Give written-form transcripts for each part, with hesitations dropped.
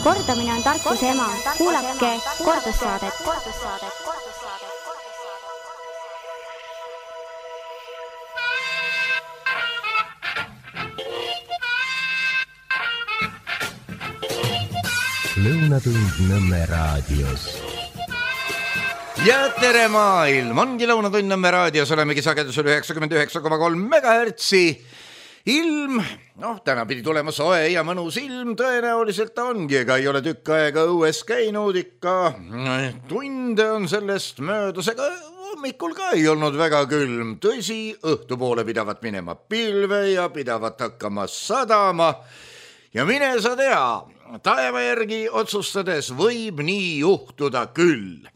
Kordamine on tarkuse ema. Kuulake kordussaadet. Lõunatund Nõmme raadios. Ja tere maailm, ongi Lõunatund Nõmme raadios, olemegi sagedusel 99,3 MHz. Ilm, täna pidi tulema soe ja mõnus ilm, tõenäoliselt ongi, ega ei ole tükk aega õues käinud, ikka tunde on sellest möödas, ega hommikul ka ei olnud väga külm. Tõsi, õhtupoole pidavat minema pilve ja pidavat hakkama sadama ja mine sa tea, taeva järgi otsustades võib nii juhtuda küll.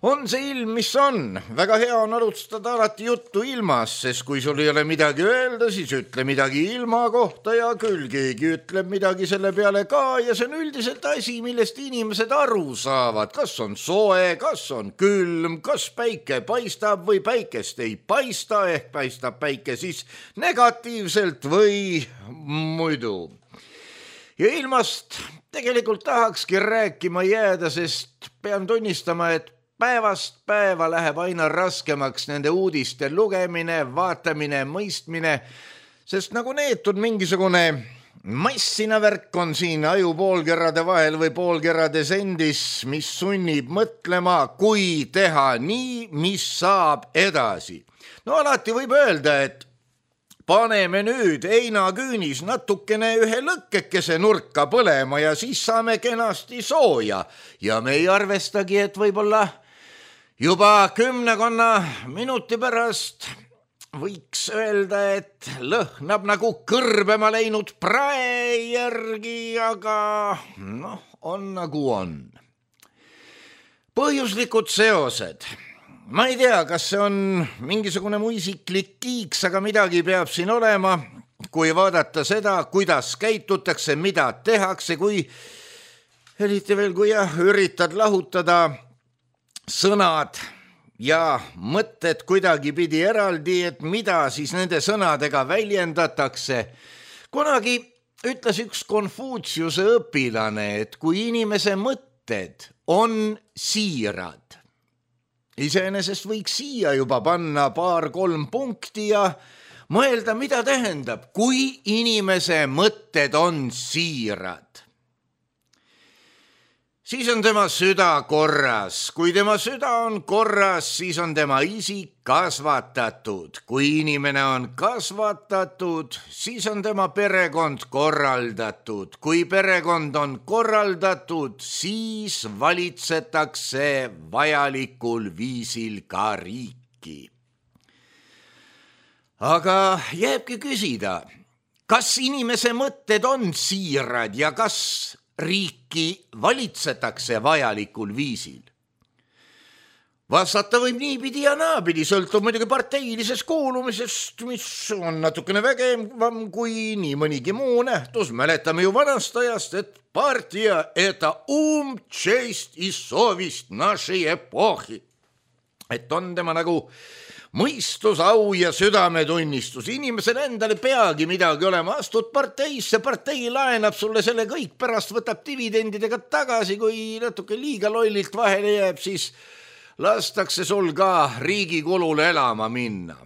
On see ilm, mis on. Väga hea on alustada alati juttu ilmas, sest kui sul ei ole midagi öelda, siis ütle midagi ilma kohta ja küll keegi ütleb midagi selle peale ka ja see on üldiselt asi, millest inimesed aru saavad. Kas on soe, kas on külm, kas päike paistab või päikest ei paista, ehk paistab päike siis negatiivselt või muidu. Ja ilmast tegelikult tahakski rääkima jääda, sest pean tunnistama, et päevast päeva läheb aina raskemaks nende uudiste lugemine, vaatamine, mõistmine, sest nagu neetud mingisugune massina värk on siin aju poolkerrade vahel või poolkerrades endis, mis sunnib mõtlema, kui teha nii, mis saab edasi. No alati võib öelda, et paneme nüüd heinaküünis natukene ühe lõkkekese nurka põlema ja siis saame kenasti sooja. Ja me ei arvestagi, et võib-olla juba 10 minuti pärast võiks öelda, et lõhnab nagu kõrbema läinud prae järgi, aga on nagu on. Põhjuslikud seosed. Ma ei tea, kas see on mingisugune muisiklik kiiks, aga midagi peab siin olema, kui vaadata seda, kuidas käitutakse, mida tehakse, kui eriti veel, kui üritad lahutada sõnad ja mõtted kuidagi pidi eraldi, et mida siis nende sõnadega väljendatakse. Kunagi ütles üks Konfutsiuse õpilane, et kui inimese mõtted on siirad, iseenesest võiks siia juba panna 2-3 punkti ja mõelda, mida tähendab, kui inimese mõtted on siirad. Siis on tema süda korras. Kui tema süda on korras, siis on tema isik kasvatatud. Kui inimene on kasvatatud, siis on tema perekond korraldatud. Kui perekond on korraldatud, siis valitsetakse vajalikul viisil ka riiki. Aga jääbki küsida, kas inimese mõtted on siirad ja kas riiki valitsetakse vajalikul viisil? Vastata võib niipidi ja naapidi, sõltub muidugi parteilisest kuulumisest, mis on natukene vägevam kui nii mõnigi muu nähtus. Mäletame ju vanast ajast, et partija это ум, честь и совесть нашей эпохи. Et on tema nagu mõistus, au ja südametunnistus. Inimesel endale peagi midagi olema. Astud parteisse, partei laenab sulle selle kõik, pärast võtab dividendidega tagasi. Kui natuke liiga lollilt vahele jääb, siis lastakse sul ka riigi kulule elama minna.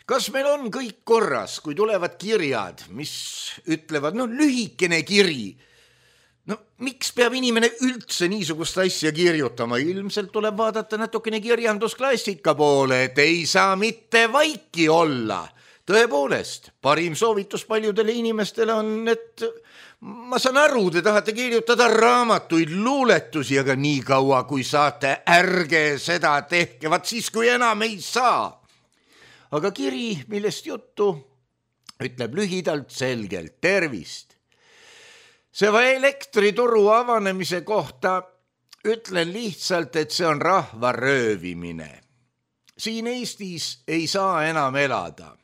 Kas meil on kõik korras, kui tulevad kirjad, mis ütlevad, lühikene kiri? Miks peab inimene üldse niisugust asja kirjutama? Ilmselt tuleb vaadata natukene kirjandusklassika poole, et ei saa mitte vaiki olla. Tõepoolest, parim soovitus paljudele inimestele on, et ma saan aru, te tahate kirjutada raamatuid, luuletusi, aga nii kaua kui saate, ärge seda tehke, vaat siis kui enam ei saa. Aga kiri, millest juttu, ütleb lühidalt selgelt tervist. See elektrituru avanemise kohta ütlen lihtsalt, et see on rahva röövimine. Siin Eestis ei saa enam elada.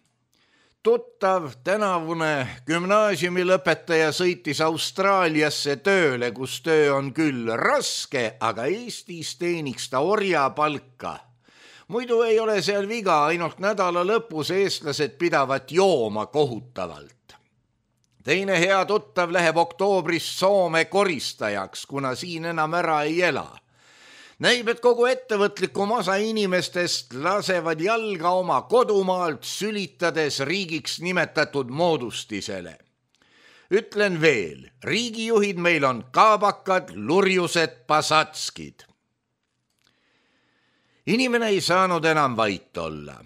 Tuttav tänavune gümnaasiumilõpetaja sõitis Austraaliasse tööle, kus töö on küll raske, aga Eestis teeniks ta orjapalka. Muidu ei ole seal viga, ainult nädala lõpus eestlased pidavat jooma kohutavalt. teine hea tuttav läheb oktoobris Soome koristajaks, kuna siin enam ära ei ela. Näib, et kogu ettevõtlikum osa inimestest lasevad jalga oma kodumaalt sülitades riigiks nimetatud moodustisele. Ütlen veel, riigijuhid meil on kaabakad, lurjused, pasatskid. Inimene ei saanud enam vait olla.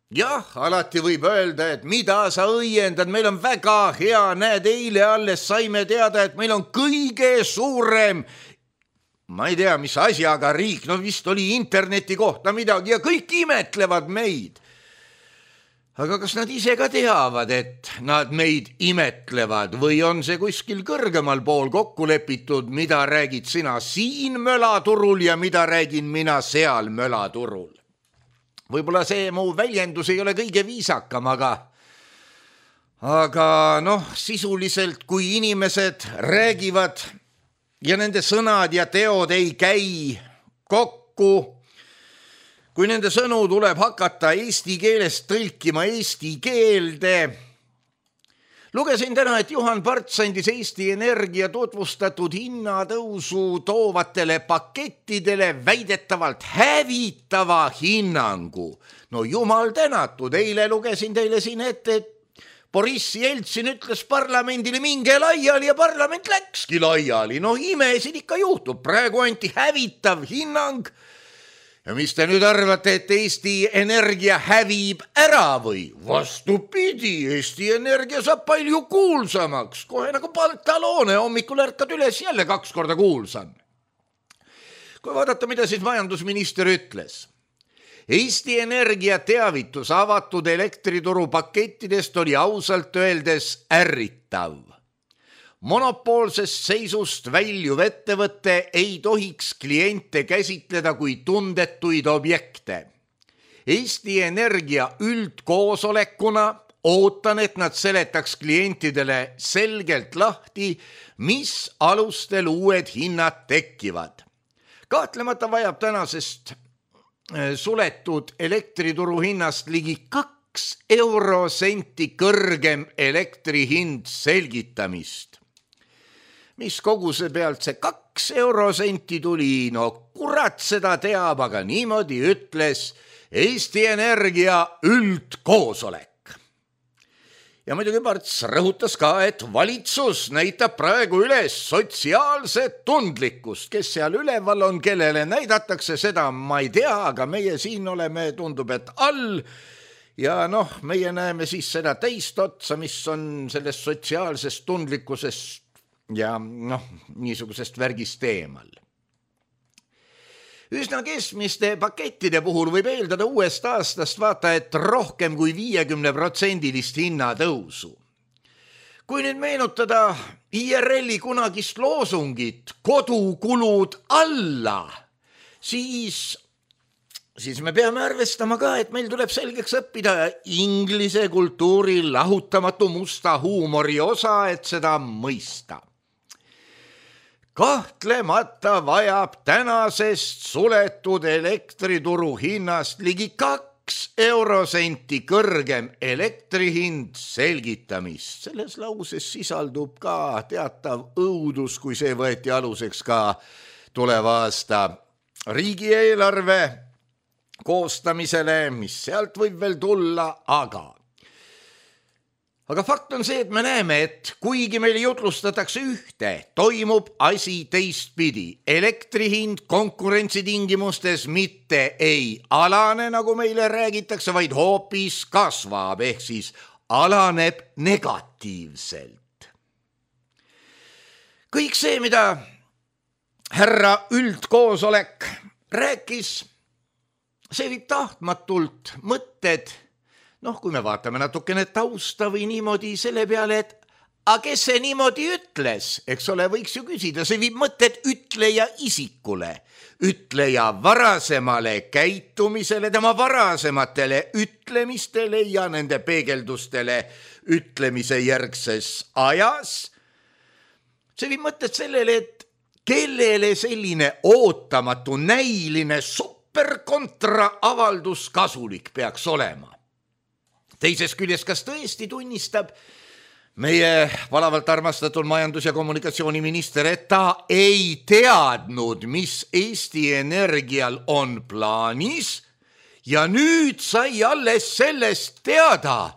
Jah, alati võib öelda, et mida sa õiendad, meil on väga hea, näed, eile alles saime teada, et meil on kõige suurem, ma ei tea, mis asjaga riik, no vist oli interneti kohta midagi ja kõik imetlevad meid. Aga kas nad ise ka teavad, et nad meid imetlevad või on see kuskil kõrgemal pool kokku lepitud, mida räägid sina siin mölaturul ja mida räägin mina seal mölaturul? Võib-olla see mu väljendus ei ole kõige viisakam, aga sisuliselt kui inimesed räägivad ja nende sõnad ja teod ei käi kokku, kui nende sõnu tuleb hakata eesti keelest tõlkima eesti keelde. Lugesin täna, et Juhan Parts andis Eesti Energia tutvustatud hinnatõusu toovatele pakettidele väidetavalt hävitava hinnangu. No jumal tänatud, eile lugesin teile siin ette, et Boris Jeltsin ütles parlamendile minge laiali ja parlament läkski laiali. No imesid ikka juhtub, praegu anti hävitav hinnang. Ja mis te nüüd arvate, et Eesti Energia hävib ära või? Vastupidi, Eesti Energia saab palju kuulsamaks. Kohe nagu Pantaloone, hommikul ärkad üles jälle 2 korda kuulsam. Kui vaadata, mida siis majandusminister ütles. Eesti Energia teavitus avatud elektrituru pakettidest oli ausalt öeldes ärritav. Monopoolsest seisust väljuv ettevõte ei tohiks kliente käsitleda kui tundetuid objekte. Eesti Energia üldkoosolekuna ootan, et nad seletaks klientidele selgelt lahti, mis alustel uued hinnad tekivad. Kahtlemata vajab tänasest suletud elektrituru hinnast ligi 2 eurosenti kõrgem elektrihind selgitamist. Mis koguse pealt see 2 eurosenti tuli? No kurat seda teab, aga niimoodi ütles Eesti Energia üldkoosolek. Ja muidugi Parts rõhutas ka, et valitsus näitab praegu üles sotsiaalset tundlikkust. Kes seal üleval on, kellele näidatakse, seda ma ei tea, aga meie siin oleme, tundub, et all. Ja meie näeme siis seda teist otsa, mis on sellest sotsiaalsest tundlikkusest ja niisugusest värgist eemal. Üsna keskmiste pakettide puhul võib eeldada uuest aastast vaata, et rohkem kui 50% hinnatõusu. Kui nüüd meenutada IRL-i kunagist loosungit kodukulud alla, siis me peame arvestama ka, et meil tuleb selgeks õppida inglise kultuuri lahutamatu musta huumori osa, et seda mõista. Kahtlemata vajab tänasest suletud elektrituru hinnast ligi 2 eurosenti kõrgem elektrihind selgitamist. Selles lauses sisaldub ka teatav õudus, kui see võeti aluseks ka tuleva aasta riigieelarve koostamisele, mis sealt võib veel tulla, aga fakt on see, et me näeme, et kuigi meile jutlustatakse ühte, toimub asi teistpidi. Elektrihind konkurentsitingimustes mitte ei alane, nagu meile räägitakse, vaid hoopis kasvab, ehk siis alaneb negatiivselt. Kõik see, mida härra üldkoosolek rääkis, see viib tahtmatult mõtted, kui me vaatame natukene tausta või niimoodi selle peale, et kes see niimoodi ütles, eks ole, võiks ju küsida, see viib mõtted ütleja isikule, ütleja varasemale käitumisele, tema varasematele ütlemistele ja nende peegeldustele ütlemise järgses ajas. See viib mõtted sellele, et kellele selline ootamatu näiline superkontra avaldus kasulik peaks olema. Teises küljest, kas tõesti tunnistab meie palavalt armastatud majandus- ja kommunikatsiooniminister, et ta ei teadnud, mis Eesti Energial on plaanis ja nüüd sai alles sellest teada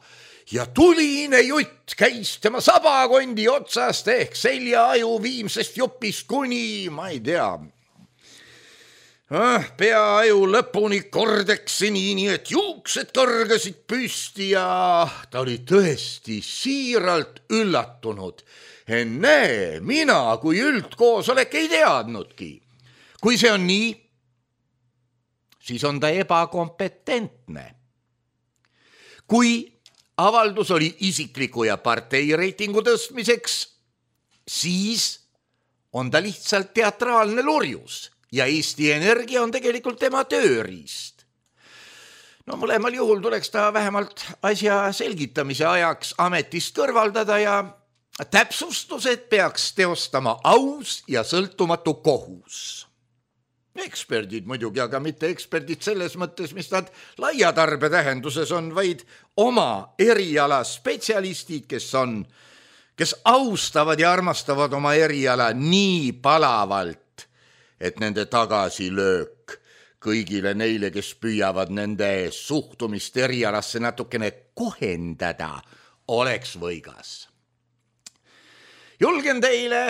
ja tuline jutt käis tema sabakondi otsast ehk seljaaju viimsest jupist kuni, ma ei tea, peaaju lõpuni kordeksini, nii et juuksed kõrgasid püsti ja ta oli tõesti siiralt üllatunud. Ennäe, mina kui üldkoosolek ei teadnudki. Kui see on nii, siis on ta ebakompetentne. Kui avaldus oli isikliku ja partei reitingu tõstmiseks, siis on ta lihtsalt teatraalne lurjus. Ja Eesti Energia on tegelikult tema tööriist. No mõlemal juhul tuleks ta vähemalt asja selgitamise ajaks ametist kõrvaldada ja täpsustused peaks teostama aus ja sõltumatu kohus. Eksperdid muidugi, aga mitte eksperdid selles mõttes, mis nad laia tarbe tähenduses on, vaid oma eriala spetsialistid, kes austavad ja armastavad oma eriala nii palavalt, et nende tagasilöök kõigile neile, kes püüavad nende suhtumist erialasse natukene kohendada, oleks võigas. Julgen teile,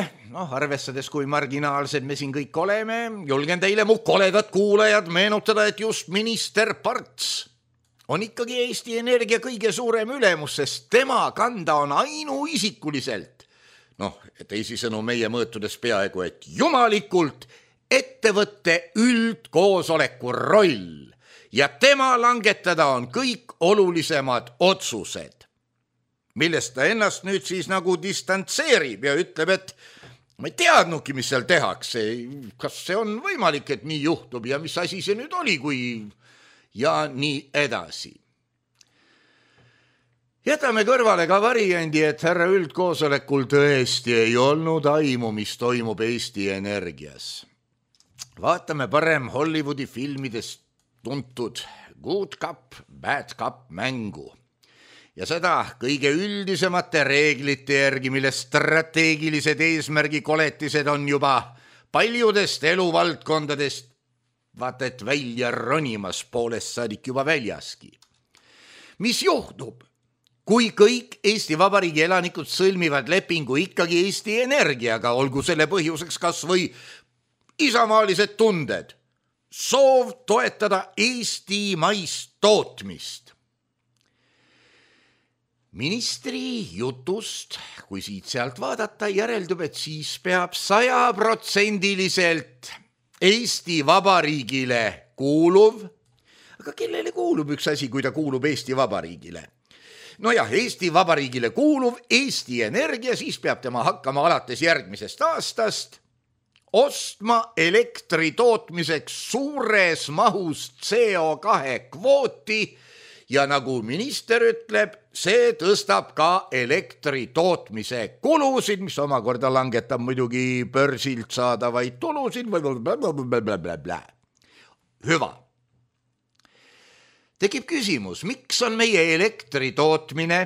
arvestades kui marginaalsed me siin kõik oleme, julgen teile mu koledad kuulajad meenutada, et just minister Parts on ikkagi Eesti Energia kõige suurem ülemus, sest tema kanda on ainuisikuliselt, teisisõnu meie mõõtudes peaaegu, et jumalikult ettevõtte üldkoosoleku roll ja tema langetada on kõik olulisemad otsused, millest ta ennast nüüd siis nagu distantseerib ja ütleb, et ma ei teadnudki, mis seal tehakse, kas see on võimalik, et nii juhtub ja mis asi see nüüd oli, kui ja nii edasi. Jätame kõrvale ka variandi, et härra üldkoosolekul tõesti ei olnud aimu, mis toimub Eesti Energias. Vaatame parem Hollywoodi filmidest tuntud Good Cup, Bad Cup mängu ja seda kõige üldisemate reeglite järgi, mille strateegilised eesmärgi koletised on juba paljudest eluvaldkondadest vaata et välja ronimas poolest saadik juba väljaski. Mis juhtub, kui kõik Eesti Vabariigi elanikud sõlmivad lepingu ikkagi Eesti Energiaga, olgu selle põhjuseks kas või isamaalised tunded, soov toetada Eesti maist tootmist. Ministri jutust, kui siit sealt vaadata, järeldub, et siis peab 100% Eesti Vabariigile kuuluv, aga kellele kuulub üks asi, kui ta kuulub Eesti Vabariigile? Eesti Vabariigile kuuluv Eesti Energia, siis peab tema hakkama alates järgmisest aastast ostma elektri tootmiseks suures mahus CO2 kvooti ja nagu minister ütleb, see tõstab ka elektri tootmise kulusid, mis omakorda langetab muidugi börsilt saadavaid tulusid. Hüva. Tekib küsimus, miks on meie elektri tootmine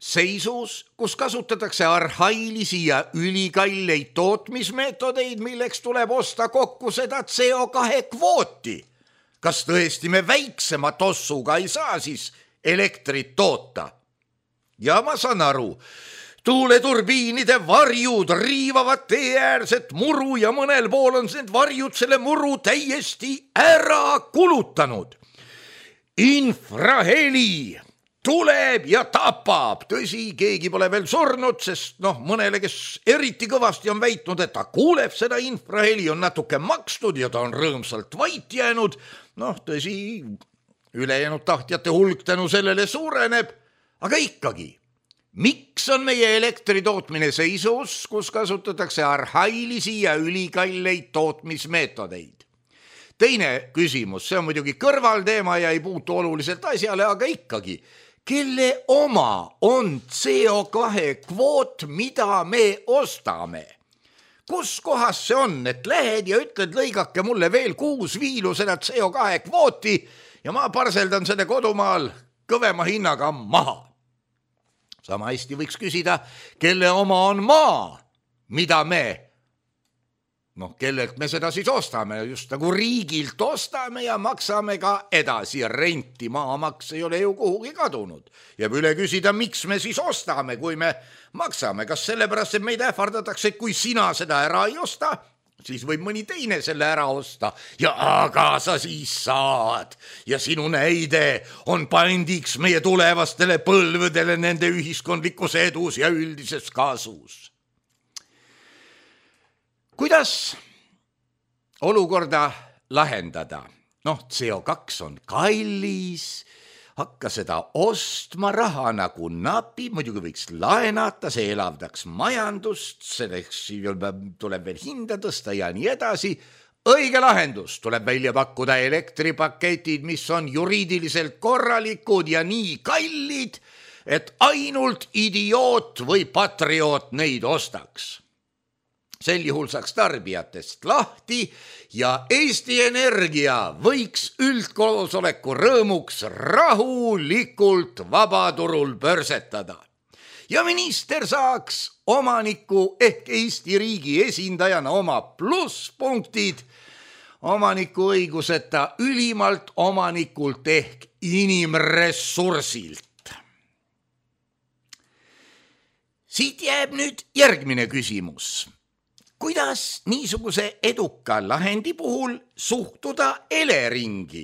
seisus, kus kasutatakse arhailisi ja ülikalleid tootmismeetodeid, milleks tuleb osta kokku seda CO2 kvooti. Kas tõesti me väiksema tossuga ei saa siis elektrit toota? Ja ma saan aru, tuuleturbiinide varjud riivavad teeäärset muru ja mõnel pool on need varjud selle muru täiesti ära kulutanud. Infraheli tuleb ja tapab. Tõsi, keegi pole veel surnud, sest mõnele, kes eriti kõvasti on väitnud, et ta kuuleb seda infraheli, on natuke makstud ja ta on rõõmsalt vait jäänud. Tõsi, ülejäänud tahtjate hulk tänu sellele suureneb, aga ikkagi, miks on meie elektritootmine seisus, kus kasutatakse arhailisi ja ülikalleid tootmismeetodeid? Teine küsimus, see on muidugi kõrvalteema ja ei puutu oluliselt asjale, aga ikkagi, kelle oma on CO2 kvoot, mida me ostame? Kus kohas see on, et lähed ja ütled, lõigake mulle veel 6 viilu seda CO2 kvooti ja ma parseldan selle kodumaal kõvema hinnaga maha? Sama hästi võiks küsida, kelle oma on maa, mida me, kellelt me seda siis ostame, just nagu riigilt ostame ja maksame ka edasi renti. Maamaks ei ole ju kuhugi kadunud. Jääb üle küsida, miks me siis ostame, kui me maksame. Kas sellepärast, et meid ähvardatakse, kui sina seda ära ei osta, siis võib mõni teine selle ära osta ja aga sa siis saad. Ja sinu näide on pandiks meie tulevastele põlvedele nende ühiskondlikus edus ja üldises kasus. Kuidas olukorda lahendada? CO2 on kallis, hakka seda ostma, raha nagu napi, muidugi võiks laenata, see elavdaks majandust, selleks tuleb veel hinda tõsta ja nii edasi. Õige lahendus tuleb välja pakkuda elektripaketid, mis on juriidiliselt korralikud ja nii kallid, et ainult idioot või patrioot neid ostaks. Sel juhul saaks tarbijatest lahti ja Eesti Energia võiks üldkoosoleku rõõmuks rahulikult vabaturul börsetada. Ja minister saaks omaniku ehk Eesti riigi esindajana oma plusspunktid omaniku õiguseta ülimalt omanikult ehk inimressursilt. Siit jääb nüüd järgmine küsimus. Kuidas niisuguse eduka lahendi puhul suhtuda Eleringi?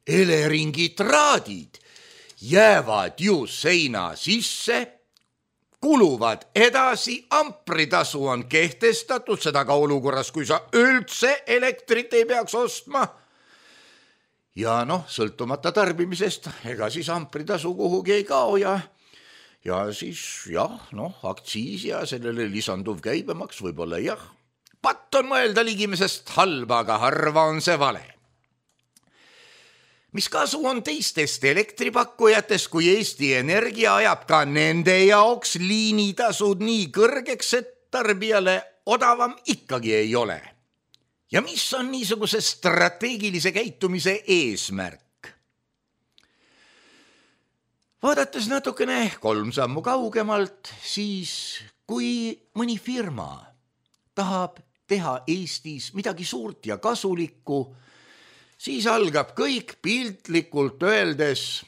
Eleringi traadid jäävad ju seina sisse, kuluvad edasi, ampritasu on kehtestatud, seda ka olukorras, kui sa üldse elektrit ei peaks ostma. Ja sõltumata tarbimisest, ega siis ampritasu kuhugi ei kao ja siis aktsiis ja sellele lisanduv käibemaks võib-olla jah. Patt on mõelda ligimesest halba, aga harva on see vale. Mis kasu on teistest elektripakkujatest, kui Eesti Energia ajab ka nende jaoks liinitasud nii kõrgeks, et tarbijale odavam ikkagi ei ole? Ja mis on niisuguse strateegilise käitumise eesmärk? Vaadates natukene 3 sammu kaugemalt, siis kui mõni firma tahab teha Eestis midagi suurt ja kasulikku, siis algab kõik piltlikult öeldes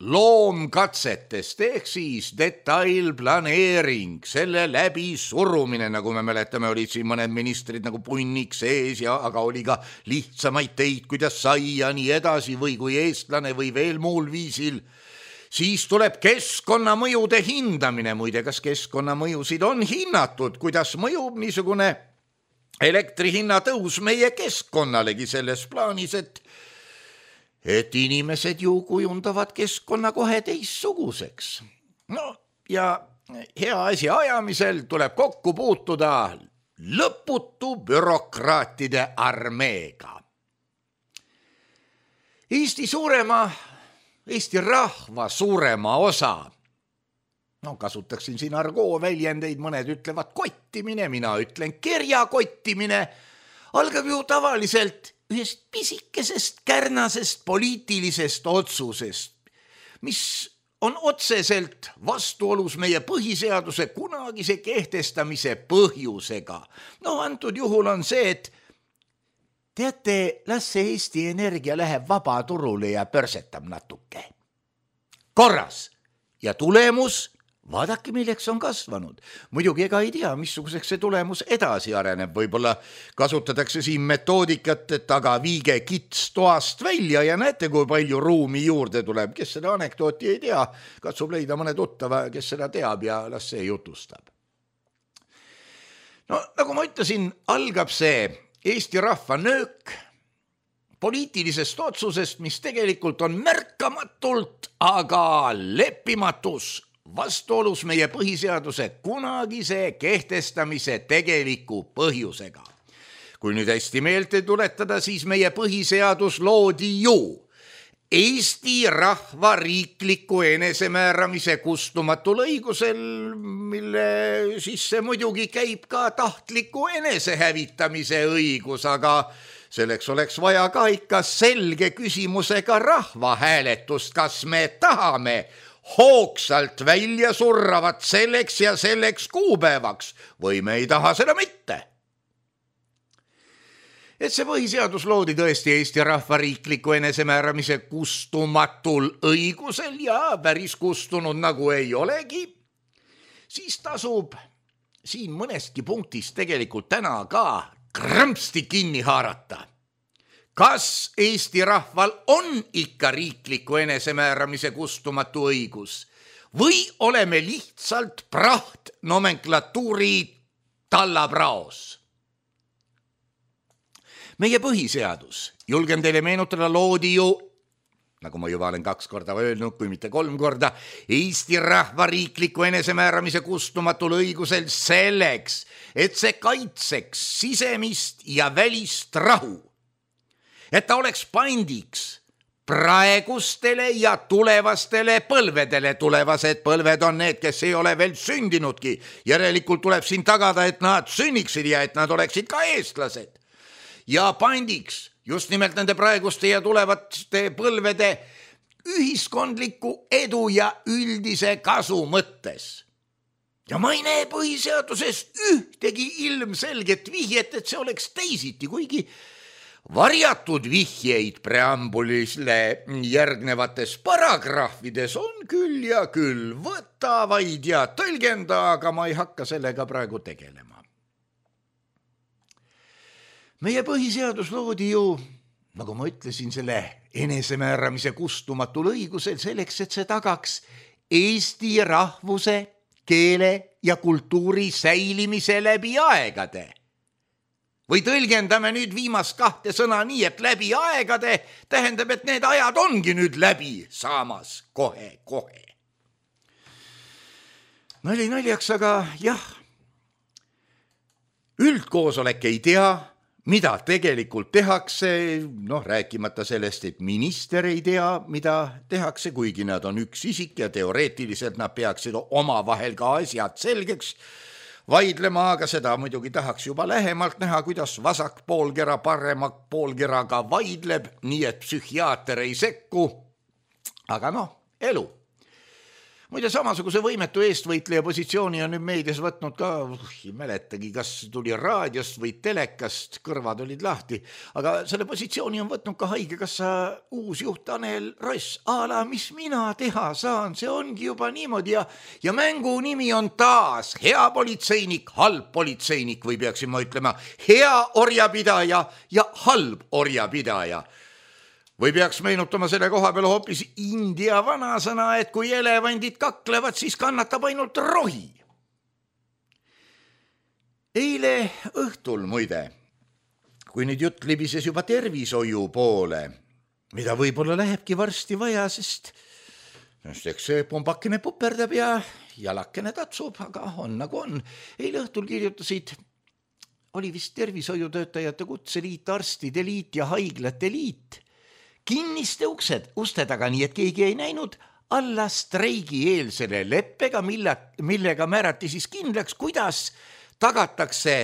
loomkatsetest ehk siis detailplaneering, selle läbi surumine, nagu me mäletame, olid siin mõned ministrid nagu punnik sees ja aga oli ka lihtsamaid teid, kuidas sai ja nii edasi või kui eestlane või veel muul viisil. Siis tuleb keskkonnamõjude hindamine, muide, kas keskkonnamõjusid on hinnatud, kuidas mõjub niisugune elektrihinna tõus meie keskkonnalegi selles plaanis, et inimesed ju kujundavad keskkonna kohe teissuguseks. Ja hea asja ajamisel tuleb kokku puutuda lõputu bürokraatide armeega. Eesti rahva suurema osa, kasutaksin siin argoo väljendeid, mõned ütlevad kottimine, mina ütlen kerjakottimine, algab ju tavaliselt ühest pisikesest kärnasest poliitilisest otsusest, mis on otseselt vastuolus meie põhiseaduse kunagise kehtestamise põhjusega. Antud juhul on see, et teate, las see Eesti Energia läheb vabaturule ja börsetab natuke. Korras. Ja tulemus, vaadake, milleks on kasvanud. Muidugi ega ei tea, missuguseks see tulemus edasi areneb. Võib-olla kasutatakse siin metoodikat, et aga viige kits toast välja ja näete, kui palju ruumi juurde tuleb. Kes seda anekdooti ei tea, katsub leida mõne tuttava, kes seda teab ja las see jutustab. Nagu ma ütlesin, algab see Eesti rahva nöök poliitilisest otsusest, mis tegelikult on märkamatult, aga leppimatus vastuolus meie põhiseaduse kunagise kehtestamise tegeliku põhjusega. Kui nüüd hästi meelde tuletada, siis meie põhiseadus loodi ju Eesti rahva riikliku enesemääramise kustumatul õigusel, mille sisse muidugi käib ka tahtliku enesehävitamise õigus, aga selleks oleks vaja ka ikka selge küsimusega rahvahääletust, kas me tahame hoogsalt välja surravat selleks ja selleks kuupäevaks või me ei taha seda mitte. Et see põhiseadus loodi tõesti Eesti rahva riikliku enesemääramise kustumatul õigusel ja päris kustunud nagu ei olegi, siis tasub siin mõnestki punktist tegelikult täna ka krõmpsti kinni haarata. Kas Eesti rahval on ikka riikliku enesemääramise kustumatu õigus või oleme lihtsalt praht nomenklatuuri tallapraos? Meie põhiseadus, julgen teile meenutada, loodi ju, nagu ma juba olen 2 korda öelnud, kui mitte 3 korda, Eesti rahva riikliku enesemääramise kustumatul õigusel selleks, et see kaitseks sisemist ja välist rahu. Et ta oleks pandiks praegustele ja tulevastele põlvedele. Tulevased põlved on need, kes ei ole veel sündinudki. Järelikult tuleb siin tagada, et nad sünniksid ja et nad oleksid ka eestlased. Ja pandiks just nimelt nende praeguste ja tulevaste põlvede ühiskondliku edu ja üldise kasu mõttes. Ja ma ei näe põhiseaduses ühtegi ilmselget vihjet, et see oleks teisiti, kuigi varjatud vihjeid preambulisle järgnevates paragrahvides on küll ja küll, võta vaid ja tõlgenda, aga ma ei hakka sellega praegu tegelema. Meie põhiseadus loodi ju, nagu ma ütlesin, selle enesemääramise kustumatul õigusel selleks, et see tagaks Eesti rahvuse, keele ja kultuuri säilimise läbi aegade. Või tõlgendame nüüd viimast 2 sõna nii, et läbi aegade tähendab, et need ajad ongi nüüd läbi saamas kohe. Nali naljaks, aga jah, üldkoosolek ei tea, mida tegelikult tehakse, rääkimata sellest, et minister ei tea, mida tehakse, kuigi nad on üks isik ja teoreetiliselt nad peaksid omavahel ka asjad selgeks vaidlema, aga seda muidugi tahaks juba lähemalt näha, kuidas vasak poolkera parema poolkeraga vaidleb, nii et psühhiaater ei sekku. Aga elu. Muide, samasuguse võimetu eestvõitleja positsiooni on nüüd meedias võtnud ka, ei mäletagi, kas tuli raadiost või telekast, kõrvad olid lahti, aga selle positsiooni on võtnud ka haigekassa uus juht Tanel Ross. Ala, mis mina teha saan, see ongi juba niimoodi ja mängu nimi on taas hea politseinik, halb politseinik või peaksin ma ütlema hea orjapidaja ja halb orjapidaja. Või peaks meenutama selle koha peale hoopis India vanasõna, et kui elevandid kaklevad, siis kannatab ainult rohi. Eile õhtul muide, kui nüüd jutt libises juba tervishoiu poole, mida võib-olla lähebki varsti vaja, sest eks see pumbakene puperdab ja jalakene tatsub, aga on nagu on. Eile õhtul kirjutasid, oli vist tervishoiutöötajate kutseliit, arstide liit ja haiglate liit, kinniste uste taga, nii et keegi ei näinud, alla streigi eelsele leppega, millega määrati siis kindlaks, kuidas tagatakse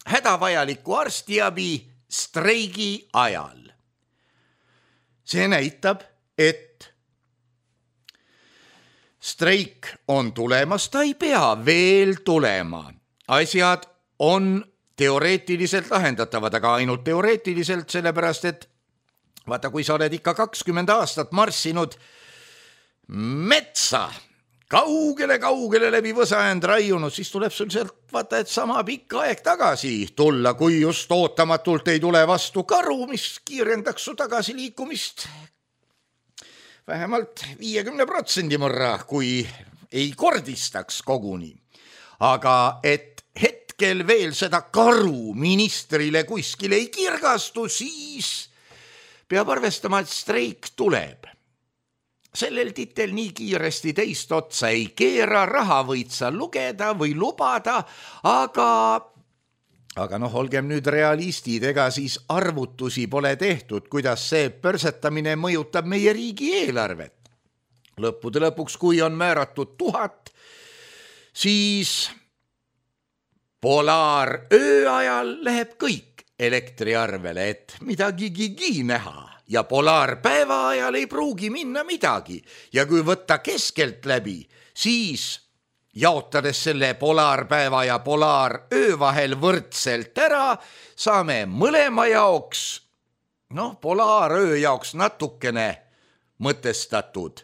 hädavajaliku arstiabi streigi ajal. See näitab, et streik on tulemas, ta ei pea veel tulema. Asjad on teoreetiliselt lahendatavad, aga ainult teoreetiliselt, sellepärast et vaata, kui sa oled ikka 20 aastat marssinud metsa, kaugele läbi võsaänd raiunud, siis tuleb sul sealt vaata, et sama pikka aeg tagasi tulla, kui just ootamatult ei tule vastu karu, mis kiirendaks su tagasiliikumist vähemalt 50% võrra, kui ei kordistaks koguni. Aga et hetkel veel seda karu ministrile kuskil ei kirgastu, siis peab arvestama, et streik tuleb. Sellel titel nii kiiresti teist otsa ei keera, raha võid sa lugeda või lubada, aga olgem nüüd realistid, ega siis arvutusi pole tehtud, kuidas see pörsetamine mõjutab meie riigi eelarvet. Lõppude lõpuks, kui on määratud 1000, siis polaaröö ajal läheb kõik elektriarvele, et midagigi näha. ja polaarpäeva ajal ei pruugi minna midagi ja kui võtta keskelt läbi, siis jaotades selle polaarpäeva ja polaaröö vahel võrdselt ära, saame mõlema jaoks, polaaröö jaoks natukene mõtestatud,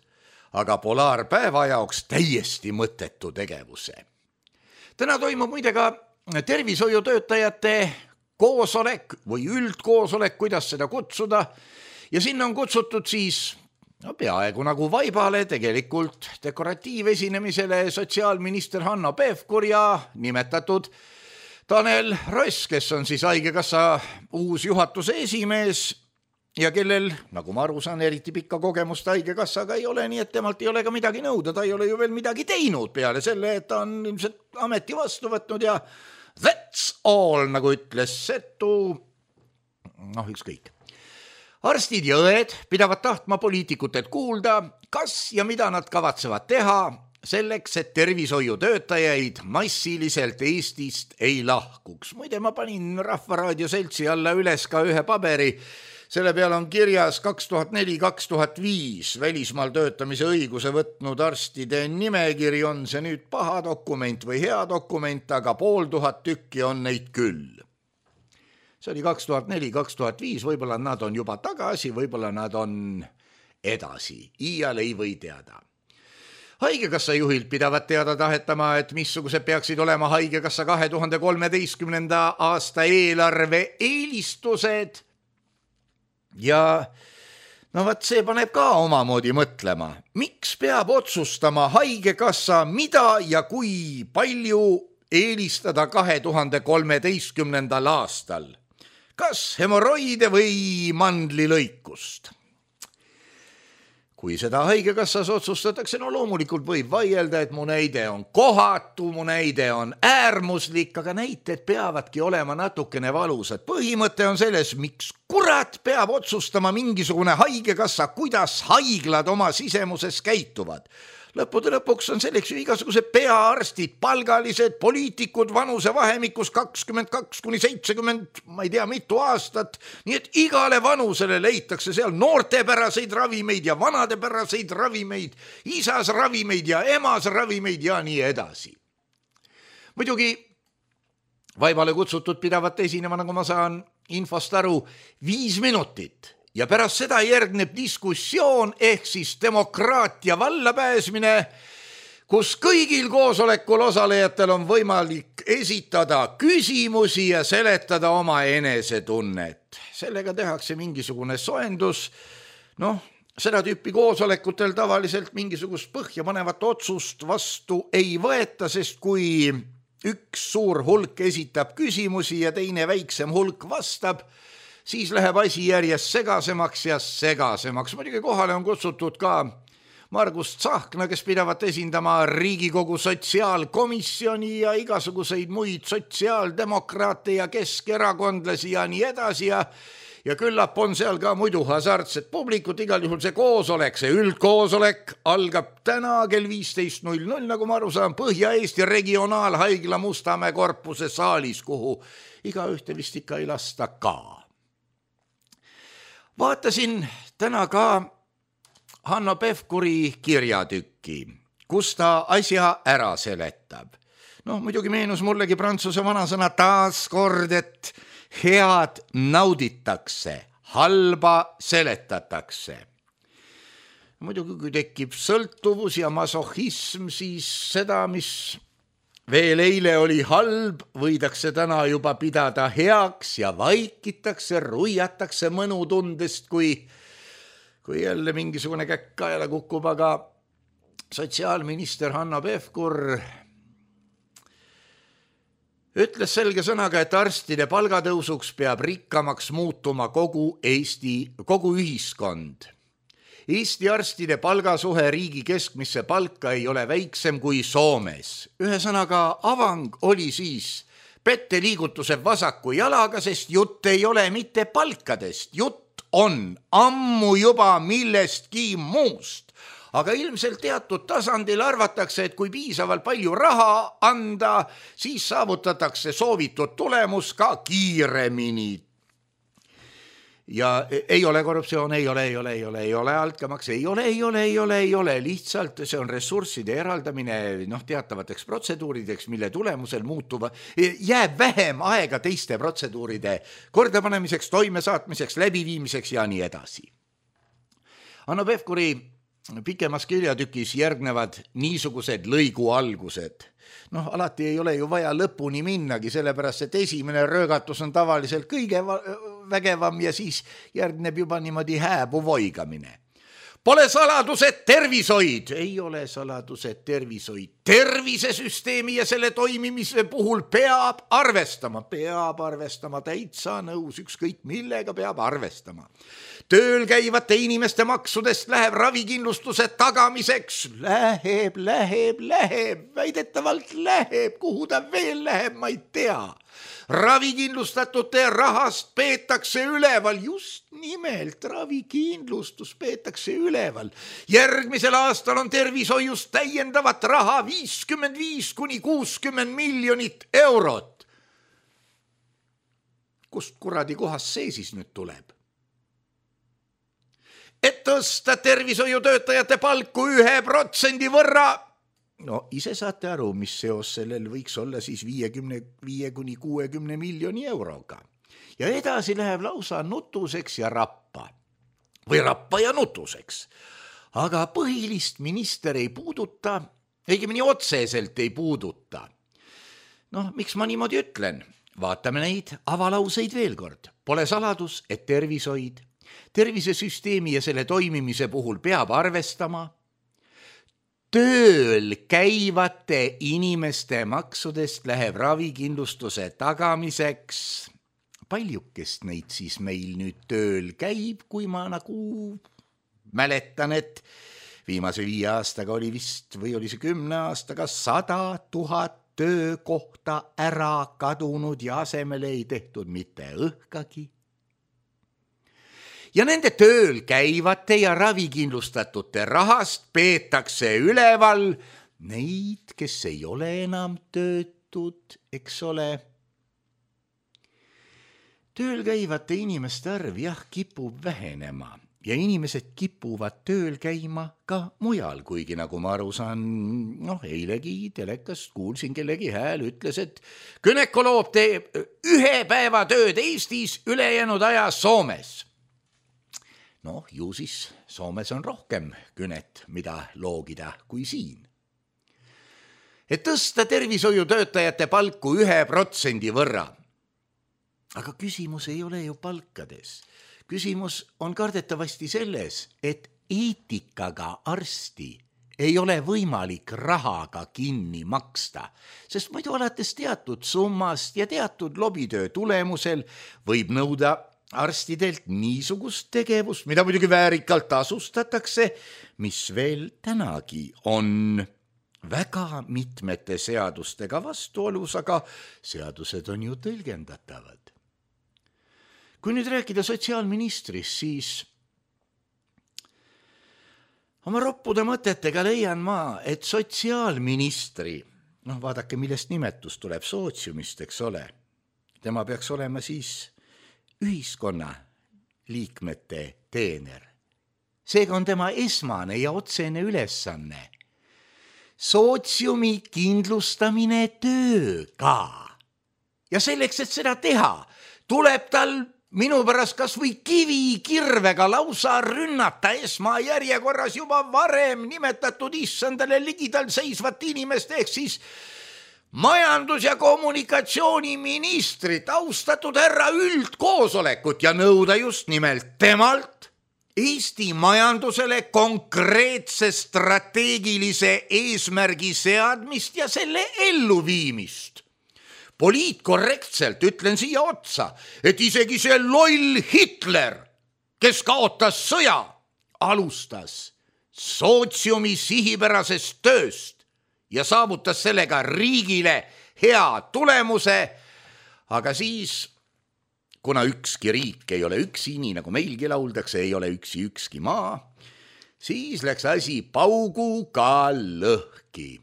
aga polaarpäeva jaoks täiesti mõttetu tegevuse. Täna toimub muide ka tervishoiutöötajate koosolek või üldkoosolek, kuidas seda kutsuda, ja sinna on kutsutud siis peaaegu nagu vaibale tegelikult dekoratiivesinemisele sotsiaalminister Hanno Pevkur ja nimetatud Tanel Ross, kes on siis Haigekassa uus juhatuse esimees ja kellel, nagu ma aru saan, eriti pikka kogemust Haigekassaga ei ole, nii et temalt ei ole ka midagi nõuda, ta ei ole ju veel midagi teinud peale selle, et ta on ilmselt ameti vastu võtnud ja that's all, nagu ütles Setu, ükskõik. Arstid ja õed pidavad tahtma poliitikutelt kuulda, kas ja mida nad kavatsevad teha selleks, et tervishoiutöötajaid massiliselt Eestist ei lahkuks. Muide, ma panin Rahvaraadio Seltsi alla üles ka ühe paberi. Selle peal on kirjas 2004-2005 välismaal töötamise õiguse võtnud arstide nimekiri. On see nüüd paha dokument või hea dokument, aga 500 tükki on neid küll. See oli 2004-2005, võib-olla nad on juba tagasi, võib-olla nad on edasi. Iial ei või teada. Haigekassa juhilt pidavat teada tahetama, et missugused peaksid olema Haigekassa 2013. aasta eelarve eelistused. Ja see paneb ka omamoodi mõtlema. Miks peab otsustama Haigekassa, mida ja kui palju eelistada 2013. aastal? Kas hemoroide või mandlilõikust? Kui seda Haigekassas otsustatakse, loomulikult võib vaielda, et mu näide on kohatu, mu näide on äärmuslik, aga näited peavadki olema natukene valusad. Põhimõte on selles, miks kurat peab otsustama mingisugune Haigekassa, kuidas haiglad oma sisemuses käituvad. Lõppude lõpuks on selleks ju igasugused peaarstid, palgalised, poliitikud vanusevahemikus 22-70, ma ei tea mitu aastat, nii et igale vanusele leitakse seal noortepäraseid ravimeid ja vanadepäraseid ravimeid, isas ravimeid ja emas ravimeid ja nii edasi. Muidugi vaibale kutsutud pidavat esinema, nagu ma saan infost aru, 5 minutit. Ja pärast seda järgneb diskussioon ehk siis demokraatia vallapääsmine, kus kõigil koosolekul osalejatel on võimalik esitada küsimusi ja seletada oma enesetunnet. Sellega tehakse mingisugune soendus. Seda tüüpi koosolekutel tavaliselt mingisugust põhjapanevat otsust vastu ei võeta, sest kui üks suur hulk esitab küsimusi ja teine väiksem hulk vastab, siis läheb asi järjest segasemaks ja segasemaks. Muidugi kohale on kutsutud ka Margus Tsahkna, kes pidavat esindama Riigikogu sotsiaalkomisjoni ja igasuguseid muid sotsiaaldemokraate ja keskerakondlasi ja nii edasi ja küllap on seal ka muidu hasartset publikut. Igal juhul see koosolek, see üldkoosolek algab täna kell 15.00, nagu ma aru saan, Põhja-Eesti regionaalhaigla Mustamäe korpuse saalis, kuhu igaühte vist ikka ei lasta ka. Vaatasin täna ka Hanno Pevkuri kirjatükki, kus ta asja ära seletab. Muidugi meenus mullegi prantsuse vanasõna taas kord, et head nauditakse, halba seletatakse. Muidugi kui tekib sõltuvus ja masohism, siis seda, mis veel eile oli halb, võidakse täna juba pidada heaks ja vaikitakse, ruiatakse mõnutundest, kui jälle mingisugune käkk kaela kukub, aga sotsiaalminister Hanno Pevkur ütles selge sõnaga, et arstide palgatõusuks peab rikkamaks muutuma kogu ühiskond. Eesti arstide palgasuhe riigi keskmisse palka ei ole väiksem kui Soomes. Ühesõnaga, avang oli siis petteliigutuse vasaku jalaga, sest jutt ei ole mitte palkadest, jutt on ammu juba millestki muust. Aga ilmselt teatud tasandil arvatakse, et kui piisavalt palju raha anda, siis saavutatakse soovitud tulemus ka kiiremini. ja ei ole korruptsioon, ei ole altkäemaks, ei ole, lihtsalt see on ressursside eraldamine teatavateks protseduurideks, mille tulemusel jääb vähem aega teiste protseduuride kordapanemiseks, toimesaatmiseks, läbiviimiseks ja nii edasi. Hanno Pevkuri pikemas kirjatükis järgnevad niisugused lõigu algused. Alati ei ole ju vaja lõpuni minnagi, sellepärast, et esimene röögatus on tavaliselt kõige vägevam ja siis järgneb juba niimoodi hääbu voigamine. Pole saladused tervishoid, ei ole saladused tervishoid. Tervisesüsteemi ja selle toimimise puhul peab arvestama, täitsa nõus, ükskõik millega peab arvestama. Tööl käivate inimeste maksudest läheb ravikindlustuse tagamiseks, läheb, väidetavalt läheb, kuhu ta veel läheb, ma ei tea. Ravikindlustatute rahast peetakse üleval, just nimelt ravikindlustus peetakse üleval. Järgmisel aastal on tervishoius täiendavat raha 55–60 miljonit eurot. Kust kuradi kohast see siis nüüd tuleb? Et tõsta tervishoiutöötajate palku 1% võrra. Ise saate aru, mis seos sellel võiks olla siis 55–60 miljoni euroga. Ja edasi läheb lausa nutuseks ja rappa. Või rappa ja nutuseks. Aga põhilist minister ei puuduta, õigemini otseselt ei puuduta. Miks ma niimoodi ütlen? Vaatame neid avalauseid veel kord. Pole saladus, et tervisesüsteemi ja selle toimimise puhul peab arvestama tööl käivate inimeste maksudest läheb ravikindlustuse tagamiseks. Paljukest neid siis meil nüüd tööl käib, kui ma mäletan, et viimase 5 aastaga oli vist, või oli see 10 aastaga 100 000 töökohta ära kadunud ja asemele ei tehtud mitte õhkagi. Ja nende tööl käivate ja ravikindlustatute rahast peetakse üleval neid, kes ei ole enam töötud, eks ole. Tööl käivate inimeste arv kipub vähenema ja inimesed kipuvad tööl käima ka mujal, kuigi nagu ma aru saan, eilegi telekast kuulsin kellegi hääl ütles, et gynekoloog teeb 1 päeva tööd Eestis, ülejäänud aja Soomes. Ju siis Soomes on rohkem günet, mida loogida kui siin. Et tõsta tervishoiutöötajate palku 1% võrra. Aga küsimus ei ole ju palkades. Küsimus on kardetavasti selles, et eetikaga arsti ei ole võimalik rahaga kinni maksta, sest muidu alates teatud summast ja teatud lobitöö tulemusel võib nõuda arstidelt niisugust tegevust, mida muidugi väärikalt tasustatakse, mis veel tänagi on väga mitmete seadustega vastuolus, aga seadused on ju tõlgendatavad. Kui nüüd rääkida sotsiaalministrist, siis oma roppude mõtetega leian ma, et sotsiaalministri, vaadake, millest nimetus tuleb, sootsiumist, eks ole, tema peaks olema siis ühiskonna liikmete teener. Seega on tema esmane ja otsene ülesanne sootsiumi kindlustamine tööga. Ja selleks, et seda teha, tuleb tal minu pärast kas või kivikirvega lausa rünnata esmajärjekorras juba varem nimetatud issandale ligidal seisvat inimest ehk siis majandus- ja kommunikatsiooniministrit, austatud härra üldkoosolekut ja nõuda just nimelt temalt Eesti majandusele konkreetse strateegilise eesmärgi seadmist ja selle elluviimist. Poliitkorrektselt ütlen siia otsa, et isegi see loll Hitler, kes kaotas sõja, alustas sootsiumi sihipärasest tööst ja saavutas sellega riigile hea tulemuse, aga siis, kuna ükski riik ei ole üksi, nii nagu meilgi lauldakse, ei ole üksi ükski maa, siis läks asi pauguga lõhki.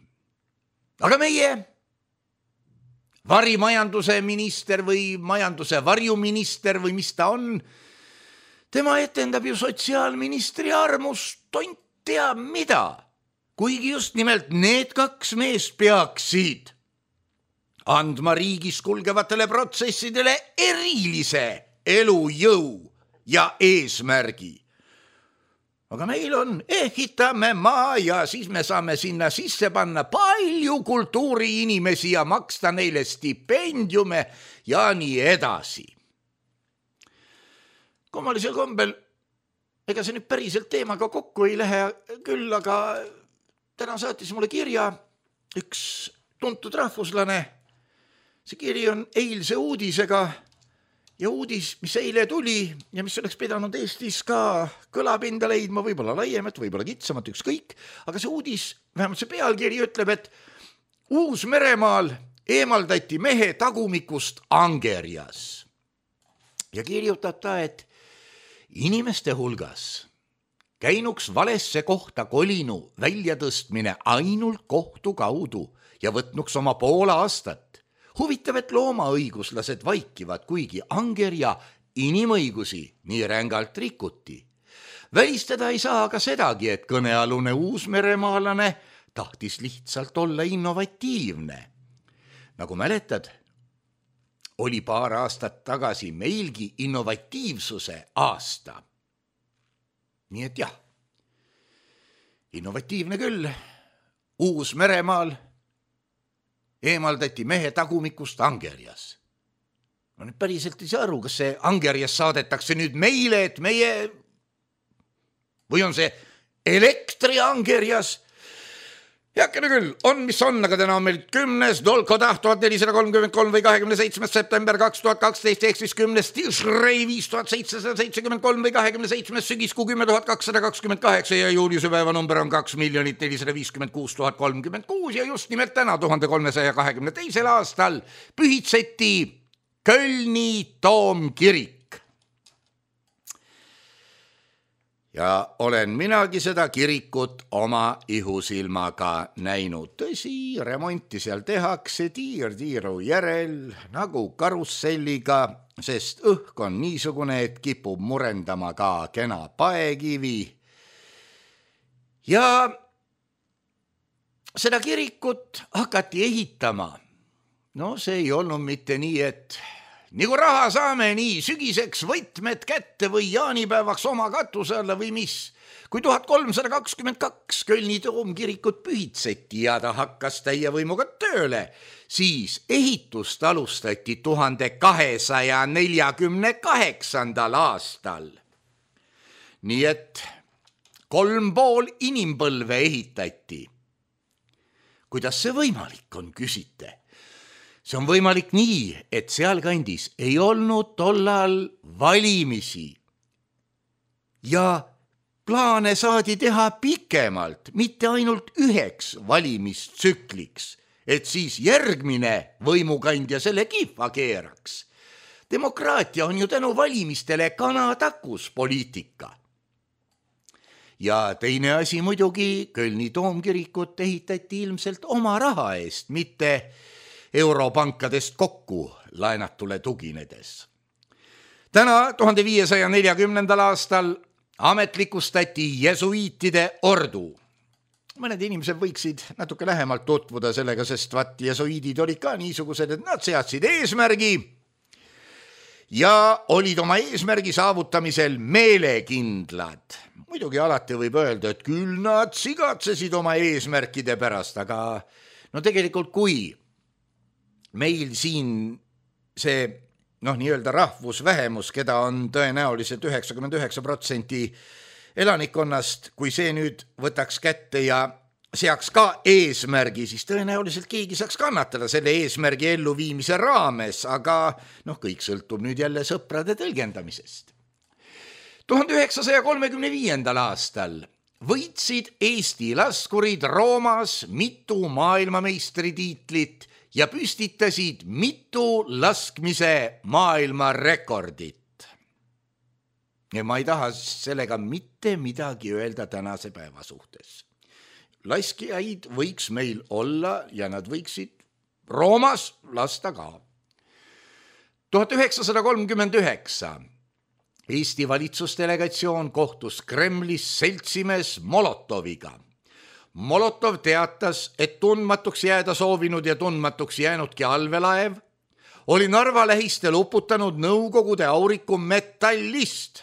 Aga meie varimajanduse minister või majanduse varjuminister või mis ta on, Tema etendab ju sotsiaalministri armust tont teab mida, kuigi just nimelt need kaks meest peaksid andma riigis kulgevatele protsessidele erilise elujõu ja eesmärgi. Aga meil on, ehitame maa ja siis me saame sinna sisse panna palju kultuuriinimesi ja maksta neile stipendiume ja nii edasi. Kummalisel kombel, ega see nüüd päriselt teemaga kokku ei lähe küll, aga täna saatis mulle kirja üks tuntud rahvuslane. See kiri on eilse uudisega ja uudis, mis eile tuli ja mis oleks pidanud Eestis ka kõlapinda leidma, võib-olla laiemat, võib-olla kitsamat, ükskõik, aga see uudis, vähemalt see pealkiri ütleb, et Uus-Meremaal eemaldati mehe tagumikust angerjas. Ja kirjutab ta, et inimeste hulgas käinuks valesse kohta kolinu väljatõstmine ainult kohtu kaudu ja võtnuks oma pool aastat. Huvitav, et loomaõiguslased vaikivad, kuigi angerja inimõigusi nii rängalt rikuti. Välistada ei saa aga sedagi, et kõnealune uusmeremaalane tahtis lihtsalt olla innovatiivne. Nagu mäletad, oli paar aastat tagasi meilgi innovatiivsuse aasta. Nii et jah, innovatiivne küll, Uus-Meremaal eemaldati mehe tagumikust angerjas. Ma nüüd päriselt ei saa aru, kas see angerjas saadetakse nüüd meile, et meie, või on see elektriangerjas? Heakene küll, on mis on, aga täna on meil 10. Dolkodah 1433 või 27. september 2012 ehk siis 10. Tishrei 5773 või 27. sügiskuu 10.228 ja juuliusepäeva number on 2,456,036 ja just nimelt täna 1322. aastal pühitseti Kölni toomkirik. Ja olen minagi seda kirikut oma ihusilmaga näinud. Tõsi, remonti seal tehakse tiiru järel nagu karusselliga, sest õhk on niisugune, et kipub murendama ka kena paekivi. Ja seda kirikut hakati ehitama. No see ei olnud mitte nii, et nagu raha saame, nii sügiseks võtmed kätte või jaanipäevaks oma katuse alla või mis. Kui 1322 Kölni toomkirikut pühitseti ja ta hakkas täie võimuga tööle, siis ehitust alustati 1248. aastal. Nii et 3,5 inimpõlve ehitati. Kuidas see võimalik on, küsite? See on võimalik nii, et sealkandis ei olnud tollal valimisi ja plaane saadi teha pikemalt, mitte ainult 1 valimistsükliks, et siis järgmine võimukandja selle kihva keeraks. Demokraatia on ju tänu valimistele kanatakus poliitika. Ja teine asi muidugi, Kölni toomkirikut ehitati ilmselt oma raha eest, mitte europankadest kokku laenatule tuginedes. Täna 1540. aastal ametlikustati jesuiitide ordu. Mõned inimesed võiksid natuke lähemalt tutvuda sellega, sest jesuiidid olid ka niisugused, et nad seadsid eesmärgi ja olid oma eesmärgi saavutamisel meelekindlad. Muidugi alati võib öelda, et küll nad sigatsesid oma eesmärkide pärast, aga no tegelikult kui meil siin see nii-öelda rahvusvähemus, keda on tõenäoliselt 99% elanikkonnast, kui see nüüd võtaks kätte ja seaks ka eesmärgi, siis tõenäoliselt keegi saaks kannatada selle eesmärgi elluviimise raames, aga kõik sõltub nüüd jälle sõprade tõlgendamisest. 1935. aastal võitsid Eesti laskurid Roomas mitu maailmameistritiitlit ja püstitasid mitu laskmise maailmarekordit. Ja ma ei taha sellega mitte midagi öelda tänase päeva suhtes. Laskijaid võiks meil olla ja nad võiksid Roomas lasta ka. 1939 Eesti valitsusdelegatsioon kohtus Kremlis seltsimees Molotoviga. Molotov teatas, et tundmatuks jääda soovinud ja tundmatuks jäänudki allveelaev oli Narva lähistel uputanud Nõukogude auriku Metallist.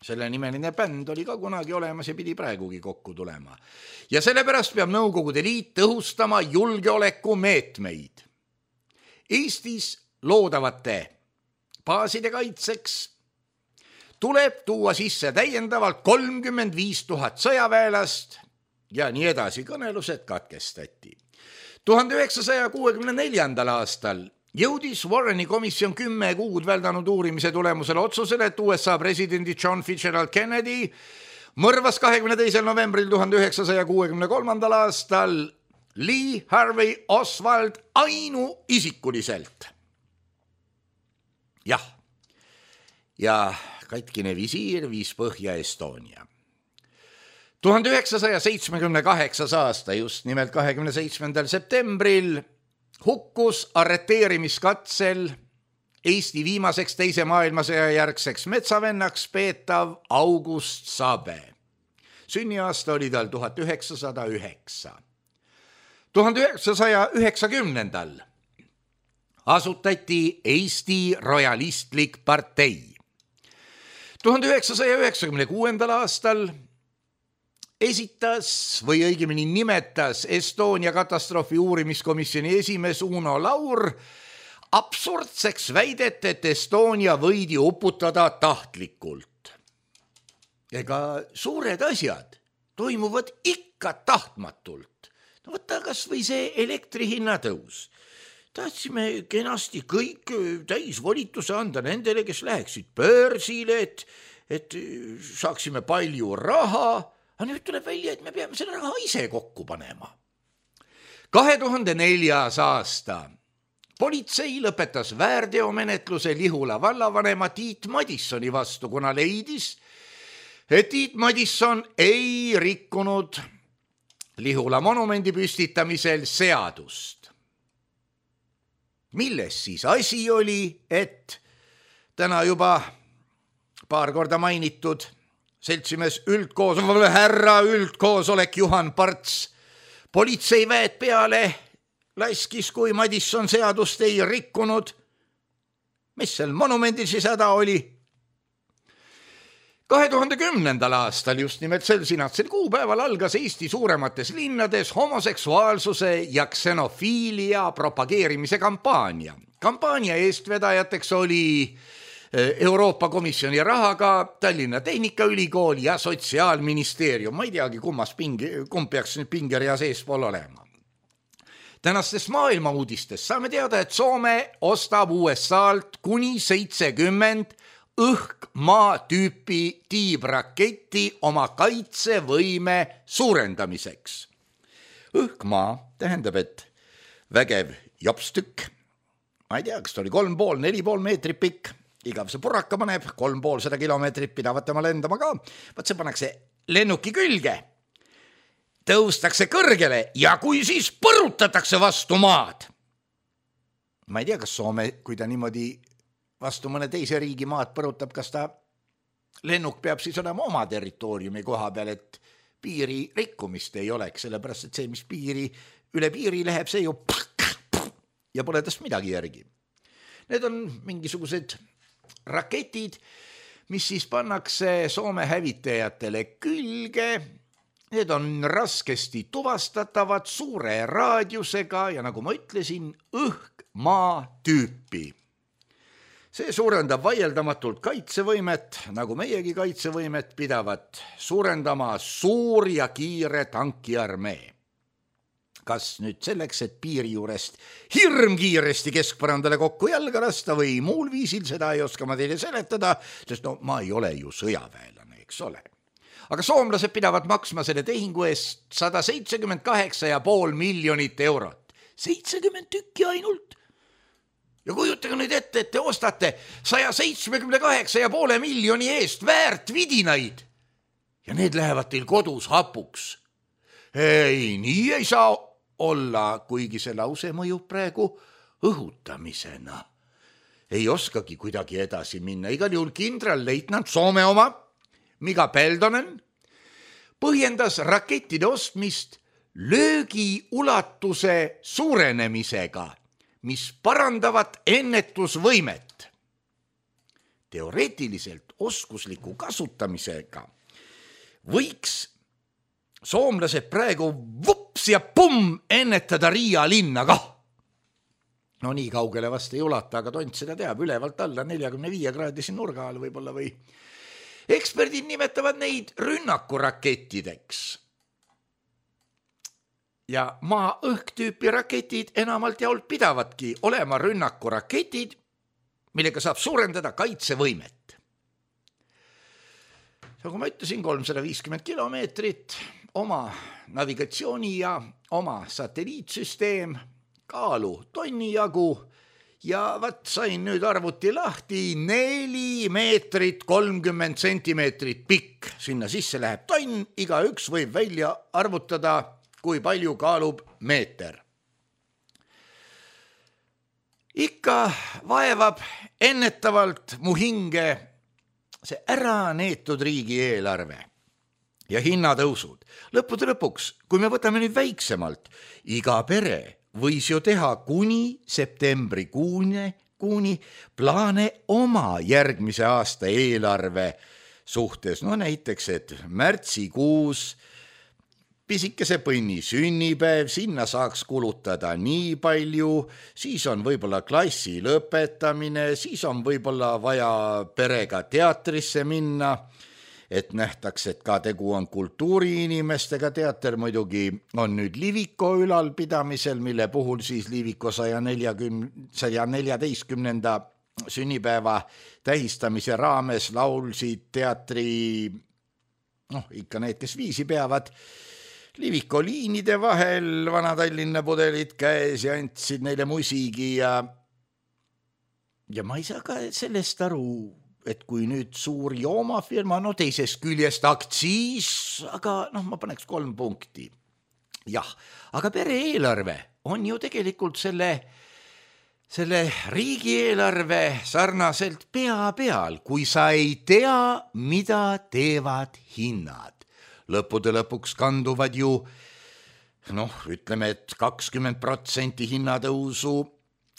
Selle nimeline bänd oli ka kunagi olemas ja pidi praegugi kokku tulema. Ja sellepärast peab Nõukogude Liit tõhustama julgeolekumeetmeid. Eestis loodavate baaside kaitseks tuleb tuua sisse täiendavalt 35 000 sõjaväelast ja nii edasi, kõnelused katkestati. 1964. aastal jõudis Warreni komisjon 10 kuud väldanud uurimise tulemusel otsusele, et USA presidendi John Fitzgerald Kennedy mõrvas 22. novembril 1963. aastal Lee Harvey Oswald ainuisikuliselt. Jah, ja katkine visiir viis põhja Estonia. 1978. aasta, just nimelt 27. septembril, hukkus arreteerimiskatsel Eesti viimaseks teise maailmasõja järgseks metsavennaks peetav August Sabe. Sünniaasta oli tal 1909. 1990. asutati Eesti Rojalistlik partei. 1996. aastal esitas või õigemini nimetas Estonia katastroofi uurimiskomisjoni esimees Uno Laur absurdseks väidet, et Estonia võidi uputada tahtlikult. Ega suured asjad toimuvad ikka tahtmatult. No võtta kas või see elektrihinna tõus. Tahtsime kenasti kõik täisvolituse anda nendele, kes läheksid börsile, et saaksime palju raha. Aga nüüd tuleb välja, et me peame selle raha ise kokku panema. 2004. aasta politsei lõpetas väärteomenetluse Lihula vallavanema Tiit Madissoni vastu, kuna leidis, et Tiit Madisson ei rikkunud Lihula monumendi püstitamisel seadust. Milles siis asi oli, et täna juba paar korda mainitud seltsimees härra üldkoosolek Juhan Parts politseiväed peale laskis, kui Madisson seadust ei rikkunud. Mis seal monumendil siis häda oli? 2010. aastal, just nimelt sel sinatsel kuupäeval algas Eesti suuremates linnades homoseksuaalsuse ja ksenofiilia propageerimise kampaania. Kampaania eestvedajateks oli Euroopa Komisjoni rahaga Tallinna Tehnikaülikool ja Sotsiaalministeerium. Ma ei teagi, kumb peaks nüüd pingereas eespool olema. Tänastest maailma uudistest saame teada, et Soome ostab USA-lt kuni 70 õhk-maa tüüpi tiibraketti oma kaitsevõime suurendamiseks. Õhk-maa tähendab, et vägev jopstükk, ma ei tea, kas ta oli 3,5–4,5 meetrit pikk, igav see purraka paneb, 3,5 kilomeetrit pidavat tema lendama ka, vaat see pannakse lennuki külge, tõustakse kõrgele ja kui siis põrutatakse vastu maad. Ma ei tea, kas Soome, kui ta niimoodi vastu mõne teise riigi maad põrutab, kas ta lennuk peab siis olema oma territooriumi koha peal, et piiri rikkumist ei oleks, sellepärast et see, mis üle piiri läheb, see ju ja pole tast midagi järgi. Need on mingisugused raketid, mis siis pannakse Soome hävitajatele külge. Need on raskesti tuvastatavad, suure raadiusega ja nagu ma ütlesin, õhk-maa tüüpi. See suurendab vaieldamatult kaitsevõimet, nagu meiegi kaitsevõimet pidavat suurendama suur ja kiire tankiarmee. Kas nüüd selleks, et piiri juurest hirmkiiresti keskpõrandale kokku jalga lasta või muul viisil, seda ei oska ma teile seletada, sest no ma ei ole ju sõjaväelane, eks ole. Aga soomlased pidavad maksma selle tehingu eest 178,5 miljonit eurot. 70 tükki ainult. Ja kujutage nüüd ette, et te ostate 178,5 miljoni eest väärt vidinaid ja need lähevad teil kodus hapuks. Ei, nii ei saa olla, kuigi see lause mõjub praegu õhutamisena. ei oskagi kuidagi edasi minna. Igal juhul kindralleitnant Soome oma, Mika Peltonen, põhjendas rakettide ostmist löögi ulatuse suurenemisega, mis parandavad ennetusvõimet. Teoreetiliselt oskusliku kasutamisega võiks soomlased praegu vups ja pumm ennetada Riia linna kah. No nii kaugele vast ei ulata, aga tont seda teab, ülevalt alla 45 kraadisi nurga all võib-olla või. Eksperdid nimetavad neid rünnakurakettideks. Ja maa-õhk-tüüpi raketid enamalt jaolt pidavadki olema rünnakuraketid, millega saab suurendada kaitsevõimet. Nagu ma ütlesin, 350 kilomeetrit, oma navigatsiooni ja oma satelliitsüsteem, kaalu tonni jagu ja sain nüüd arvuti lahti 4 meetrit 30 sentimeetrit pikk. Sinna sisse läheb tonn, igaüks võib välja arvutada, kui palju kaalub meeter. Ikka vaevab ennetavalt mu hinge see ära neetud riigieelarve ja hinnatõusud. Lõppude lõpuks, kui me võtame nüüd väiksemalt, iga pere võis ju teha kuni septembrikuuni plaane oma järgmise aasta eelarve suhtes. No näiteks, et märtsikuus pisikese põnni sünnipäev, sinna saaks kulutada nii palju, siis on võib-olla klassi lõpetamine, siis on võib-olla vaja perega teatrisse minna, et nähtaks, et ka tegu on kultuuriinimestega. Teater muidugi on nüüd Liviko ülalpidamisel, mille puhul siis Liviko 114. sünnipäeva tähistamise raames laulsid teatri, ikka need, kes viisi peavad, Liviko liinide vahel, Vana-Tallinna pudelid käes ja andsid neile musigi ja ma ei saa ka sellest aru, et kui nüüd suur joomafirma, teisest küljest aktsiis, aga ma paneks 3 punkti. Jah, aga pere-eelarve on ju tegelikult selle riigieelarve sarnaselt pea peal, kui sa ei tea, mida teevad hinnad. Lõppude lõpuks kanduvad ju, ütleme, et 20% hinnatõusu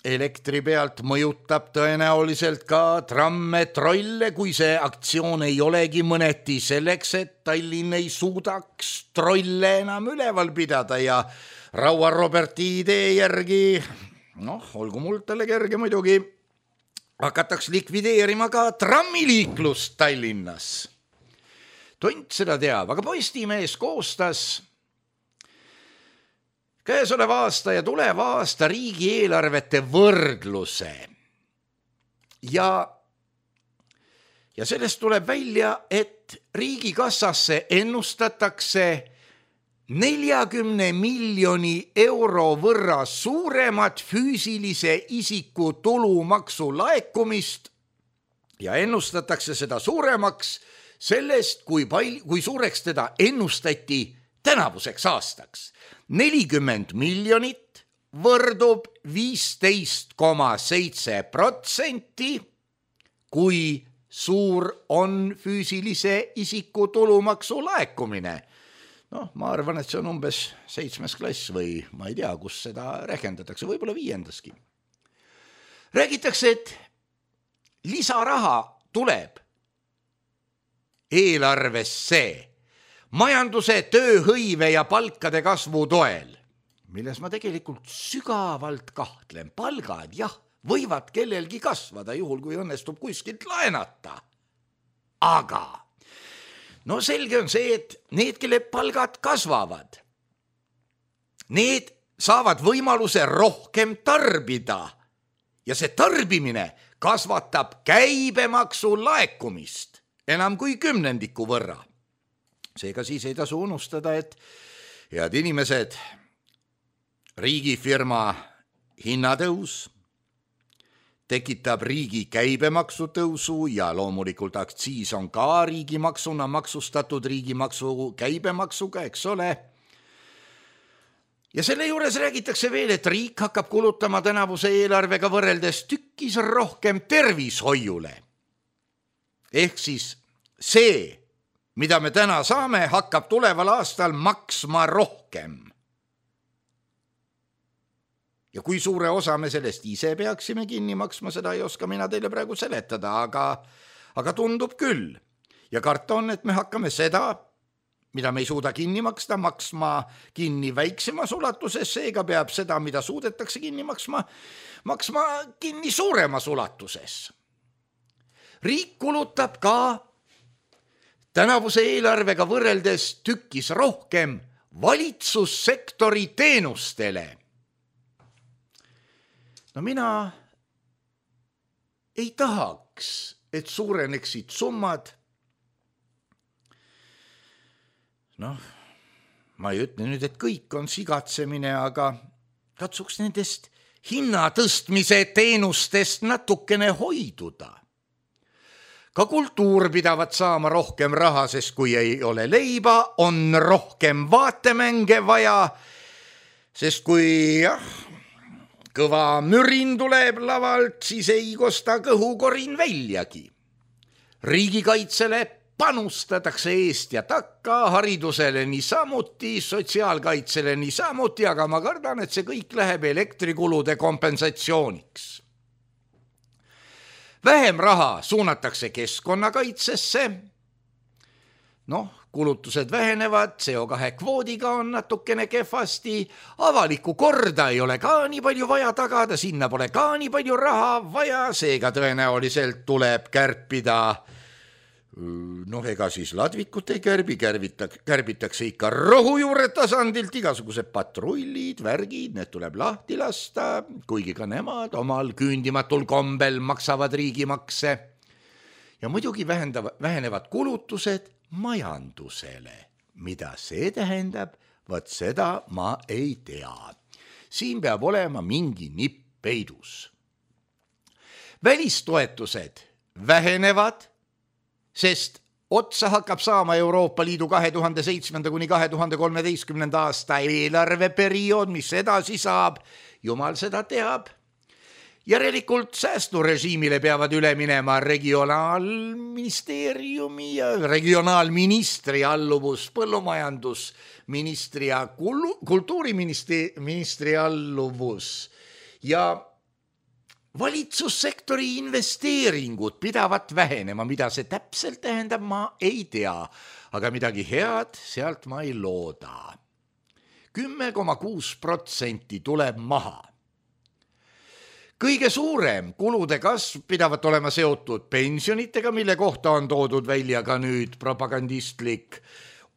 elektri pealt mõjutab tõenäoliselt ka tramme, trolle, kui see aktsioon ei olegi mõneti selleks, et Tallinn ei suudaks trolle enam üleval pidada ja Raua Roberti idee järgi, olgu mul talle kerge muidugi, hakataks likvideerima ka trammiliiklust Tallinnas. Tont seda teab, aga Postimees koostas käesoleva aasta ja tuleva aasta riigieelarvete võrdluse. Ja sellest tuleb välja, et riigikassasse ennustatakse 40 miljoni euro võrra suuremat füüsilise isiku tulumaksu laekumist ja ennustatakse seda suuremaks sellest, kui suureks teda ennustati tänavuseks aastaks. 40 miljonit võrdub 15,7%, kui suur on füüsilise isiku tulumaksu laekumine. Ma arvan, et see on umbes 7. klass või ma ei tea, kus seda rehkendatakse, võib-olla 5. Räägitakse, et lisaraha tuleb eelarvesse majanduse, tööhõive ja palkade kasvu toel, milles ma tegelikult sügavalt kahtlen. Palgad, jah, võivad kellelgi kasvada, juhul kui õnnestub kuskilt laenata. Aga selge on see, et need, kelle palgad kasvavad, need saavad võimaluse rohkem tarbida ja see tarbimine kasvatab käibemaksu laekumist enam kui 10% võrra. Seega siis ei tasu unustada, et head inimesed, riigifirma hinnatõus tekitab riigi käibemaksu tõusu ja loomulikult aktsiis on ka riigimaksuna maksustatud riigimaksu käibemaksuga, eks ole. Ja selle juures räägitakse veel, et riik hakkab kulutama tänavuse eelarvega võrreldes tükkis rohkem tervishoiule. Ehk siis see, mida me täna saame, hakkab tuleval aastal maksma rohkem. Ja kui suure osa me sellest ise peaksime kinni maksma, seda ei oska mina teile praegu seletada, aga tundub küll. Ja karta on, et me hakkame seda, mida me ei suuda kinni maksta, maksma kinni väiksemas ulatuses, seega peab seda, mida suudetakse kinni maksma kinni suuremas ulatuses. Riik kulutab ka tänavuse eelarvega võrreldes tükkis rohkem valitsussektori teenustele. No mina ei tahaks, et suureneksid summad. Ma ei ütle nüüd, et kõik on sigatsemine, aga katsuks nendest hinnatõstmise teenustest natukene hoiduda. Ka kultuur pidavat saama rohkem raha, sest kui ei ole leiba, on rohkem vaatemänge vaja, sest kui kõva mürin tuleb lavalt, siis ei kosta kõhukorin väljagi. Riigikaitsele panustatakse eest ja takka, haridusele niisamuti, sotsiaalkaitsele niisamuti, aga ma kardan, et see kõik läheb elektrikulude kompensatsiooniks. Vähem raha suunatakse keskkonnakaitsesse. Kulutused vähenevad, CO2 kvoodiga on natukene kehvasti, avalikku korda ei ole ka nii palju vaja tagada, sinna pole ka nii palju raha vaja, seega tõenäoliselt tuleb kärpida. Ega siis ladvikut ei kärbitakse ikka rohujuure tasandilt, igasugused patrullid, värgid, need tuleb lahti lasta, kuigi ka nemad omal küündimatul kombel maksavad riigimakse. Ja muidugi vähenevad kulutused majandusele. Mida see tähendab, vaat seda ma ei tea. Siin peab olema mingi nipp peidus. Välistoetused vähenevad, sest otsa hakkab saama Euroopa Liidu 2007. kuni 2013. aasta eelarveperiood, mis edasi saab, jumal seda teab. Järelikult säästurežiimile peavad üle minema regionaalministeeriumi ja regionaalministri alluvus, põllumajandusministri ja kultuuriministri alluvus ja valitsussektori investeeringud pidavat vähenema, mida see täpselt tähendab, ma ei tea, aga midagi head sealt ma ei looda. 10,6% tuleb maha. Kõige suurem kulude kasv pidavat olema seotud pensionitega, mille kohta on toodud välja ka nüüd propagandistlik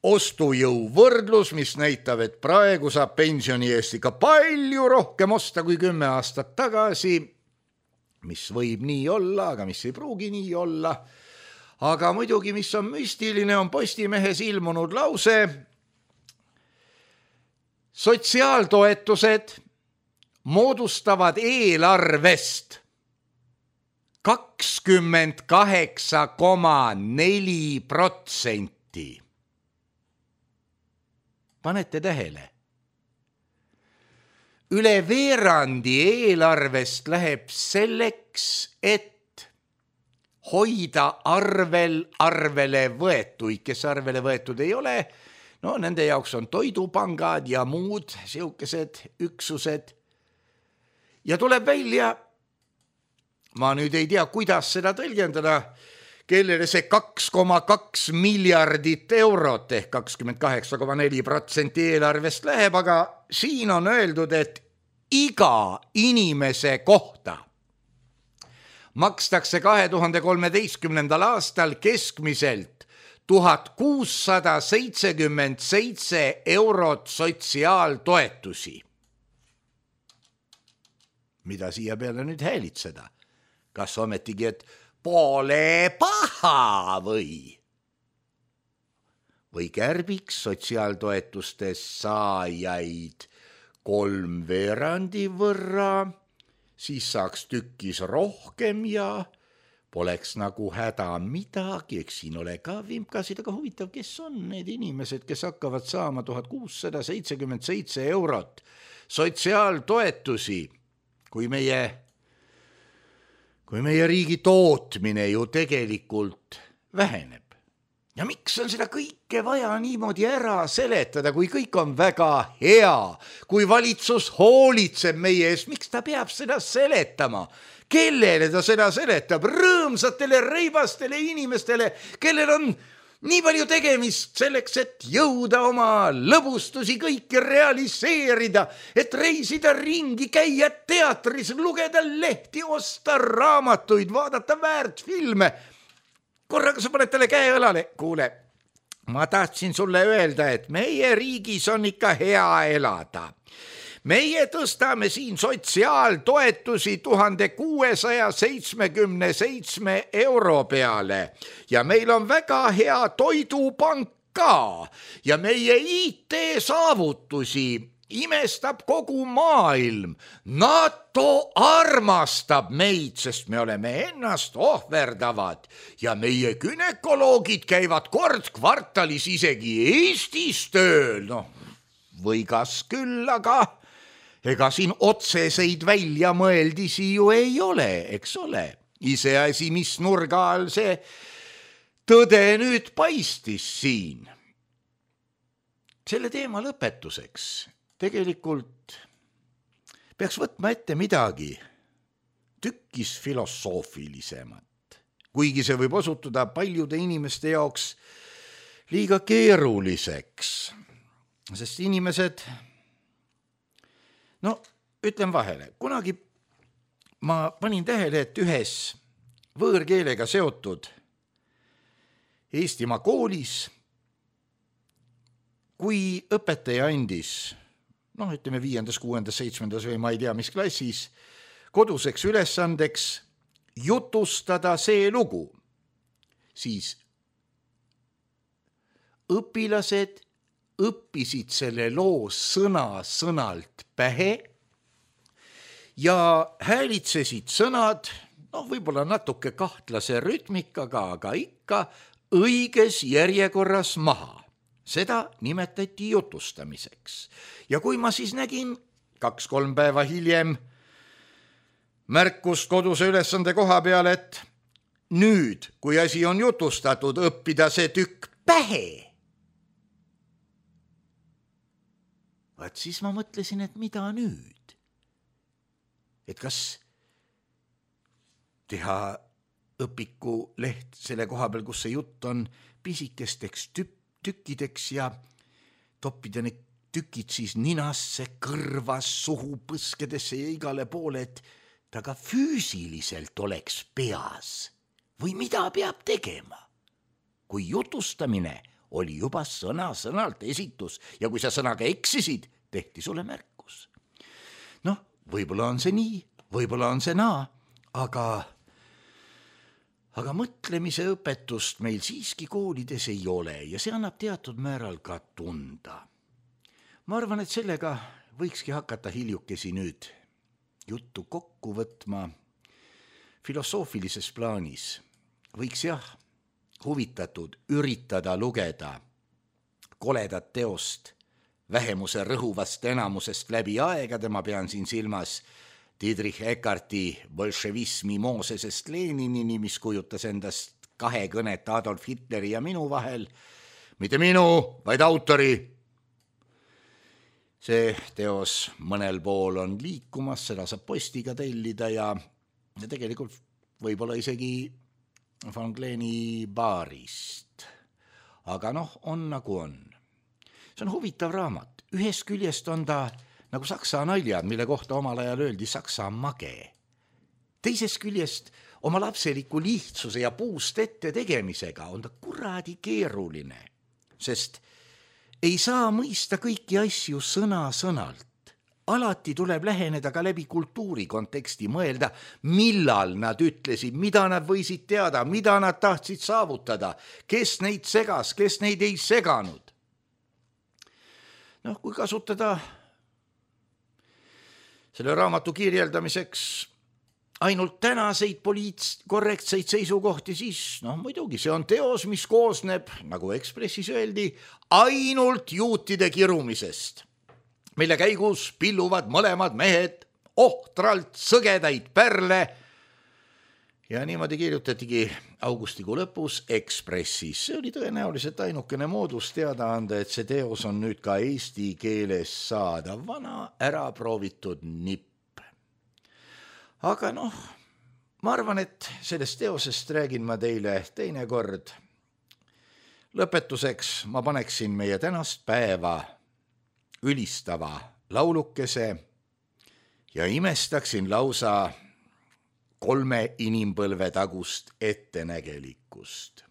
ostujõu võrdlus, mis näitab, et praegu saab pensioni eest ikka palju rohkem osta kui 10 aastat tagasi, mis võib nii olla, aga mis ei pruugi nii olla. Aga muidugi, mis on müstiline, on Postimehes ilmunud lause. Sotsiaaltoetused moodustavad eelarvest 28,4%. Panete tähele? Üle veerandi eelarvest läheb selleks, et hoida arvele võetuid, kes arvele võetud ei ole. Nende jaoks on toidupangad ja muud siukesed üksused. Ja tuleb välja, ma nüüd ei tea, kuidas seda tõlgendada, kellele see 2,2 miljardit eurot ehk 28,4% eelarvest läheb, aga siin on öeldud, et iga inimese kohta makstakse 2013. aastal keskmiselt 1677 eurot sotsiaaltoetusi. Mida siia peale nüüd häälitseda? Kas ometigi, et pole paha või kärbiks sotsiaaltoetustes saajaid 3/4 võrra, siis saaks tükkis rohkem ja poleks nagu häda midagi, eks siin ole ka vimkasid, aga huvitav, kes on need inimesed, kes hakkavad saama 1677 eurot sotsiaaltoetusi, kui meie riigi tootmine ju tegelikult väheneb. Ja miks on seda kõike vaja niimoodi ära seletada, kui kõik on väga hea, kui valitsus hoolitseb meie eest, miks ta peab seda seletama? Kellele ta seda seletab? Rõõmsatele reibastele inimestele, kellel on nii palju tegemist selleks, et jõuda oma lõbustusi kõiki realiseerida, et reisida ringi, käia teatris, lugeda lehti, osta raamatuid, vaadata väärtfilme. Korraga sa paned talle käe õlale. Kuule, ma tahtsin sulle öelda, et meie riigis on ikka hea elada. Meie tõstame siin sotsiaaltoetusi 1677 euro peale ja meil on väga hea toidupank ka ja meie IT-saavutusi imestab kogu maailm. NATO armastab meid, sest me oleme ennast ohverdavad ja meie gynekoloogid käivad kord kvartalis isegi Eestis tööl. No, või kas küll, aga ega siin otseseid väljamõeldisi ju ei ole, eks ole. Iseasi, mis nurga all see tõde nüüd paistis siin. Selle teema lõpetuseks tegelikult peaks võtma ette midagi tükkis filosoofilisemat, kuigi see võib osutuda paljude inimeste jaoks liiga keeruliseks, sest inimesed, no ütlen vahele, kunagi ma panin tähele, et ühes võõrkeelega seotud Eestimaa koolis, kui õpetaja andis ütleme 5., 6., 7. või ma ei tea, mis klassis, koduseks ülesandeks jutustada see lugu, siis õpilased õppisid selle loo sõna-sõnalt pähe ja häälitsesid sõnad, võib-olla natuke kahtlase rütmikaga, aga ikka õiges järjekorras maha. Seda nimetati jutustamiseks. Ja kui ma siis nägin 2-3 päeva hiljem märkust koduse ülesande koha peal, et nüüd, kui asi on jutustatud, õppida see tükk pähe. Vaat siis ma mõtlesin, et mida nüüd? Et kas teha õpiku leht selle koha peal, kus see jutt on, pisikesteks tükkideks ja toppida need tükid siis ninasse, kõrvas, suhu, põskedesse ja igale poole, et ta ka füüsiliselt oleks peas. Või mida peab tegema? Kui jutustamine oli juba sõna-sõnalt esitus ja kui sa sõnaga eksisid, tehti sulle märkus. Võib-olla on see nii, võib-olla on see naa, aga mõtlemise õpetust meil siiski koolides ei ole ja see annab teatud määral ka tunda. Ma arvan, et sellega võikski hakata hiljukesi nüüd juttu kokku võtma filosoofilises plaanis. Võiks huvitatud üritada lugeda koledat teost vähemuse rõhuvast enamusest läbi aegade, ma pean siin silmas Friedrich Eckarti bolševismi Moosesest Leninini, mis kujutas endast 2 kõnet Adolf Hitleri ja minu vahel. Mitte minu, vaid autori. See teos mõnel pool on liikumas, seda saab postiga tellida ja tegelikult võib-olla isegi Van Gleni baarist. Aga on nagu on. See on huvitav raamat. Ühest küljest on ta nagu saksa naljad, mille kohta omal ajal öeldi saksa mage. Teisest küljest oma lapseliku lihtsuse ja puust ette tegemisega on ta kuradi keeruline, sest ei saa mõista kõiki asju sõna-sõnalt. Alati tuleb läheneda ka läbi kultuuri konteksti, mõelda, millal nad ütlesid, mida nad võisid teada, mida nad tahtsid saavutada, kes neid segas, kes neid ei seganud. Kui kasutada selle raamatu kirjeldamiseks ainult tänaseid korrektseid seisukohti, siis muidugi see on teos, mis koosneb, nagu Ekspressis öeldi, ainult juutide kirumisest, mille käigus pilluvad mõlemad mehed ohtralt sõgedaid pärle ja niimoodi kirjutatigi augustikuu lõpus Ekspressis. See oli tõenäoliselt ainukene moodus teada anda, et see teos on nüüd ka eesti keeles saadav, vana äraproovitud nipp. Aga ma arvan, et sellest teosest räägin ma teile teinekord. Lõpetuseks ma paneksin meie tänast päeva ülistava laulukese ja imestaksin lausa 3 inimpõlve tagust ettenägelikkust.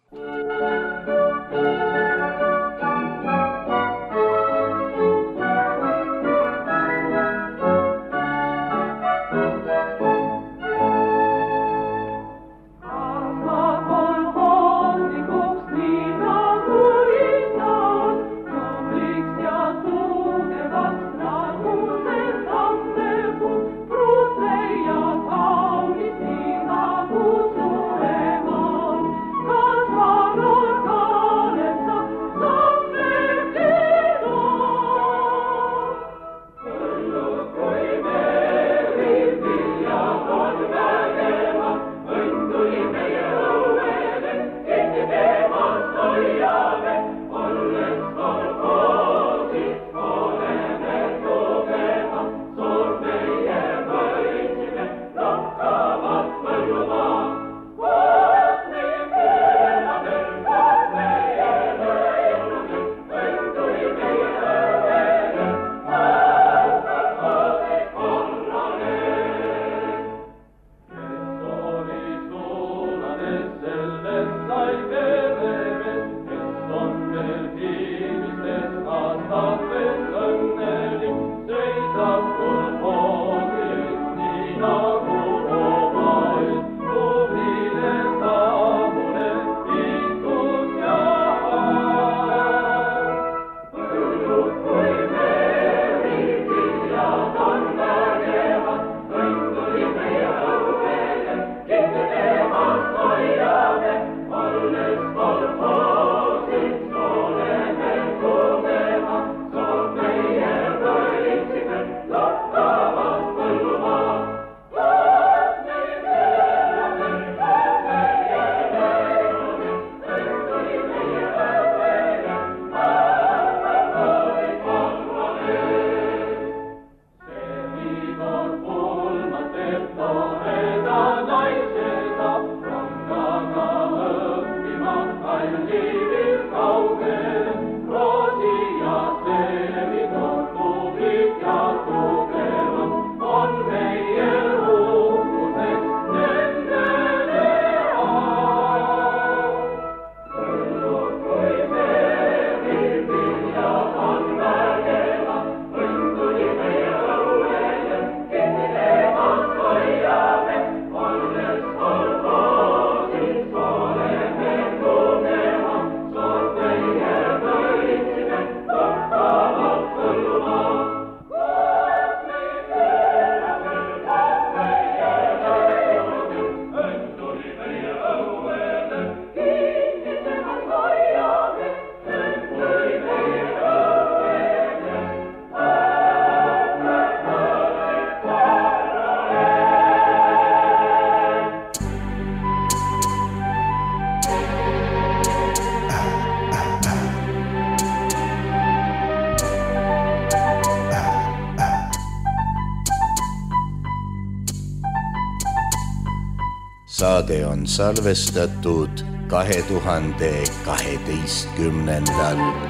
Saade on salvestatud 2012.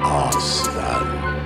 aastal.